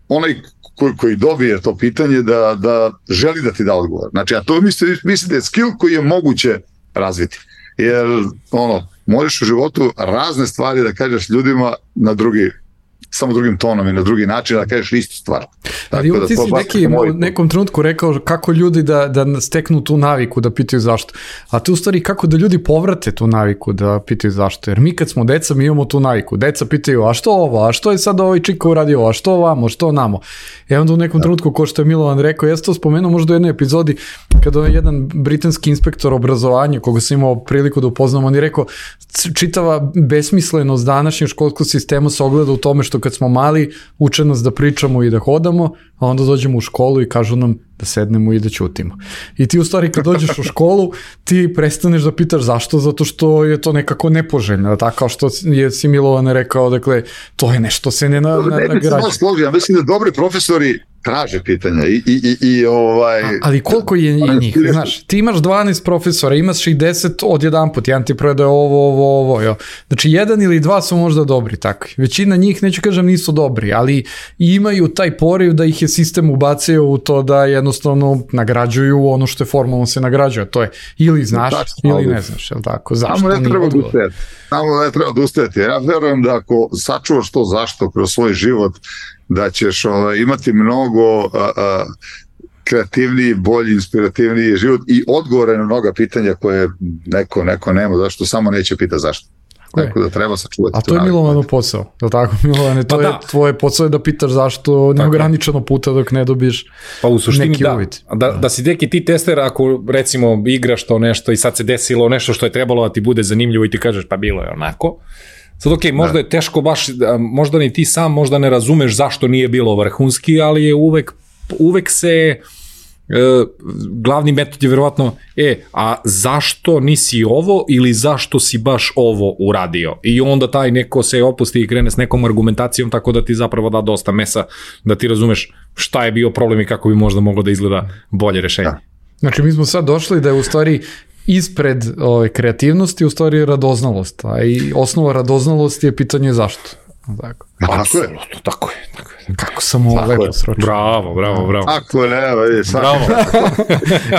onaj koji, koji dobije to pitanje da, da želi da ti da odgovor. Znači, a to mislim, mislim da je skill koji je moguće razviti. Jer, ono, možeš u životu razne stvari da kažeš ljudima na drugi, samo drugim tonom i na drugi način da kažeš istu stvar. Ali da ti si neki u nekom trenutku rekao kako ljudi da, da steknu tu naviku da pitaju zašto. A tu u stvari kako da ljudi povrate tu naviku da pitaju zašto. Jer mi kad smo deca, mi imamo tu naviku. Deca pitaju, a što ovo, a što je sad ovaj čika uradio, a što ovamo, što namo. E onda u nekom trenutku, ko što je Milovan rekao, ja sam to spomenuo možda u jednoj epizodi, kada je jedan britanski inspektor obrazovanja, koga sam imao priliku da upoznam, on je rekao, čitava besmislenost današnjeg školskog sistema se ogleda u tome što kad smo mali, uče nas da pričamo i da hodamo, a onda dođemo u školu i kažu nam da sednemo i da ćutimo. I ti u stvari kad dođeš u školu, ti prestaneš da pitaš zašto, zato što je to nekako nepoželjno, tako kao što je si Milovan rekao, dakle, to je nešto se ne nagrađa. Ja mislim da dobri profesori traže pitanja i, i, i, i ovaj... A, ali koliko je njih, znaš, ti imaš dvanaest profesora, imaš ih deset od jedan put, jedan ti predaje ovo, ovo, ovo, jo. Znači, jedan ili dva su možda dobri, tako. Većina njih, neću kažem, nisu dobri, ali imaju taj poriv da ih je sistem ubacio u to da jednostavno nagrađuju ono što je formalno se nagrađuje, to je ili znaš tačno, ili ne znaš, je li tako? Zašto? Samo ne treba odustajati. Samo ne treba odustajati. Ja verujem da ako sačuvaš to zašto kroz svoj život, da ćeš ovaj, imati mnogo a, a, kreativniji, bolji, inspirativniji život i odgovore na mnoga pitanja koje neko, neko nema, zašto samo neće pita zašto. Tako da treba sačuvati. A to je Milovanov posao, je li tako, Milovane? To pa je da. Tvoje posao je da pitaš zašto neograničeno puta dok ne dobiješ pa u suštini neki da. uvid. Da, da si deki ti tester, ako recimo igraš to nešto i sad se desilo nešto što je trebalo da ti bude zanimljivo i ti kažeš pa bilo je onako. Sad ok, možda da. je teško baš, možda ni ti sam možda ne razumeš zašto nije bilo vrhunski, ali je uvek, uvek se e, glavni metod je verovatno e, a zašto nisi ovo ili zašto si baš ovo uradio i onda taj neko se opusti i krene s nekom argumentacijom tako da ti zapravo da dosta mesa da ti razumeš šta je bio problem i kako bi možda moglo da izgleda bolje rešenje. Da. Znači mi smo sad došli da je u stvari ispred ove kreativnosti u stvari radoznalost, a i osnova radoznalosti je pitanje zašto. Tako. Tako je. Tako je. Tako je. Kako sam ovo lepo sročio. Bravo, bravo, bravo. Tako je, ne, vidi, sad. Bravo.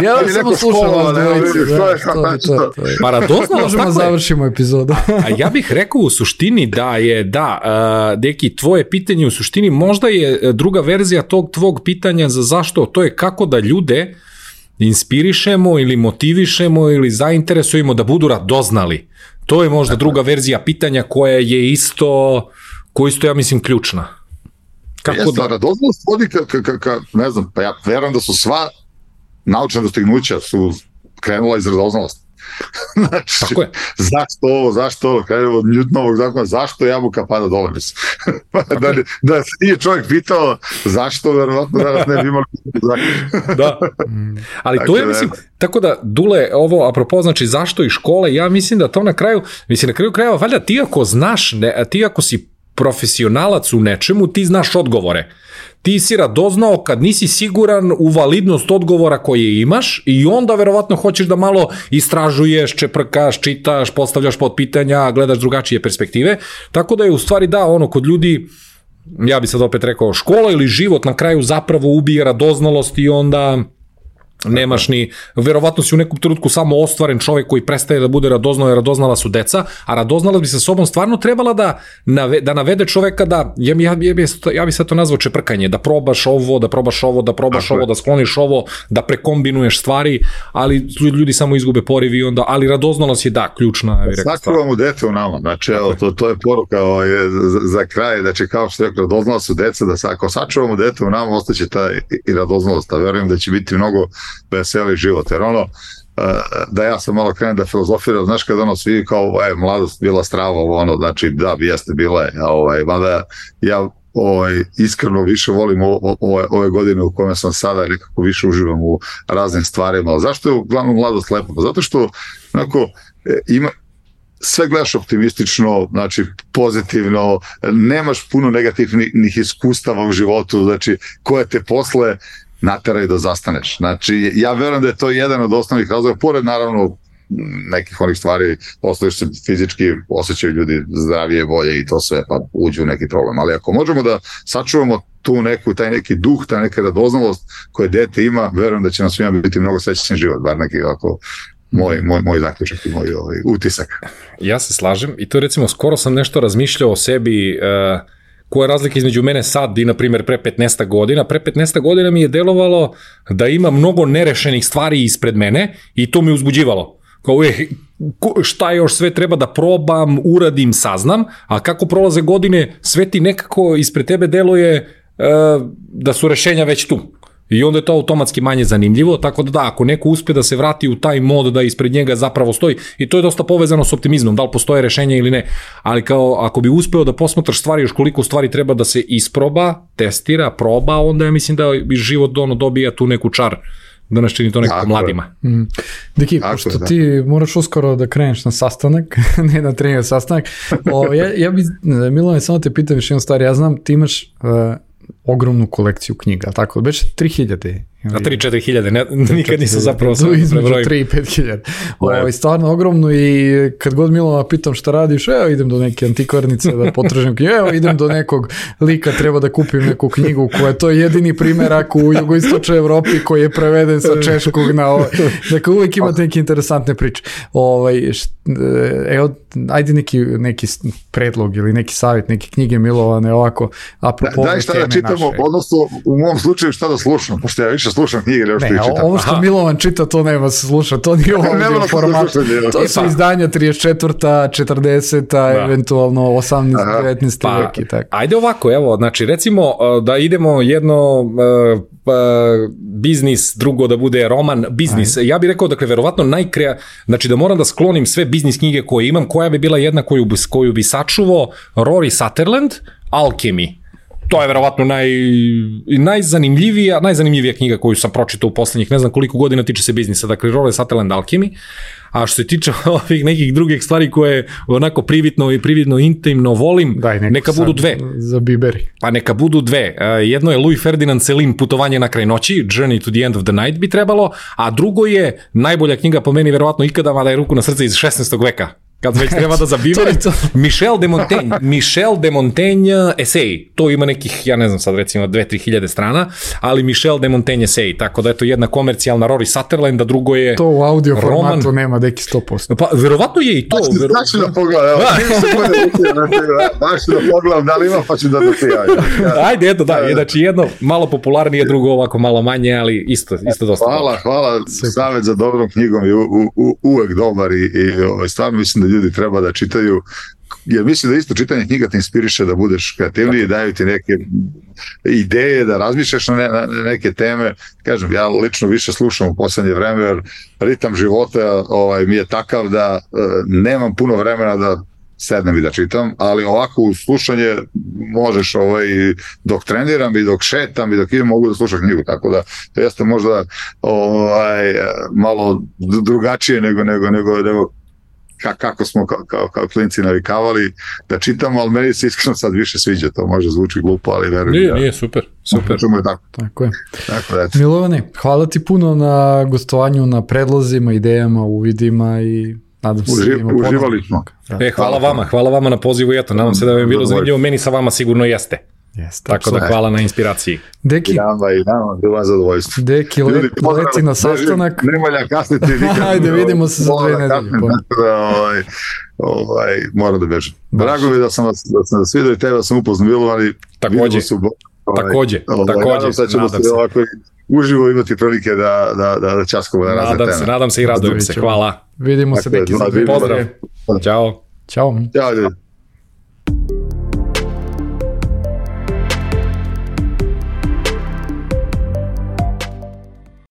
Ja da samo slušam vas dvojice. Pa radoznalost, možemo tako je. završimo epizodu. A ja bih rekao u suštini da je, da, uh, Deki, tvoje pitanje u suštini možda je druga verzija tog tvog pitanja za zašto, to je kako da ljude inspirišemo ili motivišemo ili zainteresujemo da budu radoznali. To je možda druga verzija pitanja koja je isto, koja isto ja mislim ključna. Kako Jeste, da? Radoznalost vodi ka, ka, ka, ka, ne znam, pa ja verujem da su sva naučna dostignuća su krenula iz radoznalosti. Znači, tako je. Zašto ovo, zašto ovo, krenemo od Newtonovog zakona, zašto jabuka pada dole? da, da se nije čovjek pitao zašto, verovatno danas ne bi imali zakon. Da, ali to je, mislim, tako da, Dule, ovo, apropo, znači, zašto i škole, ja mislim da to na kraju, mislim, na kraju krajeva, valjda ti ako znaš, ne, ti ako si profesionalac u nečemu, ti znaš odgovore. Ti si radoznao kad nisi siguran u validnost odgovora koje imaš i onda verovatno hoćeš da malo istražuješ, čeprkaš, čitaš, postavljaš pod pitanja, gledaš drugačije perspektive. Tako da je u stvari da, ono, kod ljudi, ja bi sad opet rekao, škola ili život na kraju zapravo ubije radoznalost i onda nemaš ni, verovatno si u nekom trenutku samo ostvaren čovjek koji prestaje da bude radoznao i radoznala su deca, a radoznala bi sa sobom stvarno trebala da, nave, da navede čovjeka da, ja, ja, ja, ja bi sad to nazvao čeprkanje, da probaš ovo, da probaš ovo, da probaš Tako ovo, je. Da skloniš ovo, da prekombinuješ stvari, ali ljudi samo izgube poriv i onda, ali radoznalost je da, ključna. Sačuvamo dete u nama, znači evo, to, to je poruka ovaj, za, za kraj, znači kao što je rekao, radoznala su deca, da sa, ako sačuvamo dete u nama, ostaće ta i radoznalost, a verujem da će biti mnogo veseli život, jer ono, da ja sam malo krenem da filozofiram, znaš kada ono svi kao, e, mladost bila strava, ono, znači da bi jeste bila je, ovaj, mada ja ovaj, iskreno više volim o, o, ove godine u kome sam sada, nekako više uživam u raznim stvarima. Zašto je uglavnom mladost lepa? Zato što onako, ima, sve gledaš optimistično, znači pozitivno, nemaš puno negativnih iskustava u životu, znači koje te posle nateraju da zastaneš. Znači, ja verujem da je to jedan od osnovnih razloga, pored naravno nekih onih stvari, osnoviš se fizički, osjećaju ljudi zdravije, bolje i to sve, pa uđu u neki problem. Ali ako možemo da sačuvamo tu neku, taj neki duh, ta neka radoznalost koje dete ima, verujem da će nam svima biti mnogo srećan život, bar neki ovako moj, moj, moj zaključak i moj ovaj, utisak. Ja se slažem i to recimo skoro sam nešto razmišljao o sebi, uh, koja je razlika između mene sad i, na primjer, pre petnaest godina. Pre petnaest godina mi je delovalo da ima mnogo nerešenih stvari ispred mene i to me uzbuđivalo. Kao, je, šta još sve treba da probam, uradim, saznam, a kako prolaze godine, sve ti nekako ispred tebe deluje uh, da su rešenja već tu. I onda je to automatski manje zanimljivo, tako da da, ako neko uspe da se vrati u taj mod da ispred njega zapravo stoji, i to je dosta povezano s optimizmom, da li postoje rešenja ili ne, ali kao ako bi uspeo da posmatraš stvari, još koliko stvari treba da se isproba, testira, proba, onda ja mislim da bi život ono dobija tu neku čar, da nas čini to nekako tako mladima. Mm. Deki, pošto je, ti moraš uskoro da kreneš na sastanak, ne na trening sastanak, o, ja, ja bi, Milane, samo te pitam još jednu stvar, ja znam, ti imaš uh, ogromnu kolekciju knjiga, tako, već tri hiljade. Na tri četiri hiljade, ne, nikad nisam zapravo sam između tri i pet hiljada. Ovo, stvarno ogromno i kad god Milana pitam šta radiš, evo idem do neke antikvarnice da potražim knjigu, evo idem do nekog lika, treba da kupim neku knjigu koja je to jedini primjerak u jugoistočnoj Evropi koji je preveden sa češkog na ovo. Dakle, uvijek imate neke interesantne priče. Ovaj, evo, ajde neki, neki predlog ili neki savjet, neke knjige Milovane, ovako, apropo da, daj šta da čitamo, naše. Odnosno u mom slučaju šta da slušam, pošto ja više slušam knjige, ne, ne ovo što Aha. Milovan čita, to nema se sluša, to nije ovdje format, to su izdanja trideset četvrta, četrdeseta, da. Eventualno osamnaesti, devetnaesti pa, vek i tako. Ajde ovako, evo, znači recimo da idemo jedno uh, uh, biznis, drugo da bude roman, biznis, ajde. Ja bih rekao, dakle, verovatno najkrea, znači da moram da sklonim sve biznis knjige koje imam, koja bi bila jedna koju bi, koju bi sačuvao, Rory Sutherland, Alchemy. To je verovatno naj, najzanimljivija, najzanimljivija knjiga koju sam pročitao u poslednjih, ne znam koliko godina tiče se biznisa, dakle Rory Sutherland Alchemy, a što se tiče ovih nekih drugih stvari koje onako privitno i prividno intimno volim, Daj, neka budu dve. Za biberi. Pa neka budu dve. Jedno je Louis Ferdinand Céline, Putovanje na kraj noći, Journey to the End of the Night bi trebalo, a drugo je najbolja knjiga po meni verovatno ikada, mada je ruku na srce iz šesnaestog veka. kad već treba da zabiverim, Michel de Montaigne, Michel de Montaigne esej, to ima nekih, ja ne znam sad recimo dve do tri hiljade strana, ali Michel de Montaigne esej, tako da je to jedna komercijalna Rory Sutherland, a drugo je to u audio roman. Formatu nema deki sto posto. Pa verovatno je i to. Znači vero... da pogledam, evo, baš da pogledam da li ima, pa ću da da ti javim. Ajde, eto, da, znači jedno malo popularnije, drugo ovako malo manje, ali isto, isto dosta. Hvala, hvala, savjet za dobrom knjigom je u, u, uvek dobar i, i ovaj, stvarno mislim da ljudi treba da čitaju, jer mislim da isto čitanje knjiga te inspiriše da budeš kreativniji, daju ti neke ideje, da razmišljaš na, ne, na neke teme. Kažem, ja lično više slušam u poslednje vreme, jer ritam života ovaj, mi je takav da uh, nemam puno vremena da sednem i da čitam, ali ovako u slušanje možeš ovaj, dok treniram i dok šetam i dok idem mogu da slušam knjigu, tako da to jeste možda ovaj, malo drugačije nego, nego, nego, nego kako smo kao, kao, kao klinci navikavali da čitamo, ali meni se iskreno sad više sviđa, to može zvuči glupo, ali verujem. Nije, da, nije, super, super. Je tako. Tako je. Tako da, Milovane, hvala ti puno na gostovanju, na predlozima, idejama, uvidima i nadam se Uži, da ima uživali smo. E, hvala vama, hvala vama na pozivu i eto, nadam se da vam je bilo zanimljivo, meni sa vama sigurno jeste. Jeste, tako da hvala na inspiraciji. Deki, I nama i nama, bilo vam zadovoljstvo. Deki, let, leti na sastanak. Ne valja kasniti nikad. Ajde, vidimo se za dve nedelje. Tako da, ovaj, ovaj, moram da bežem. Drago mi da sam vas, da sam vas vidio i tebe sam upoznao bilo, ali takođe, su, ovaj, takođe, ovaj, takođe, nadam se da ćemo se ovako uživo imati prilike da, da, da, da časkamo na razne nadam teme. Se, nadam se i radujem se, hvala. Vidimo se, Deki, za dve nedelje. Pozdrav, ćao. Ćao. Ćao, ljudi.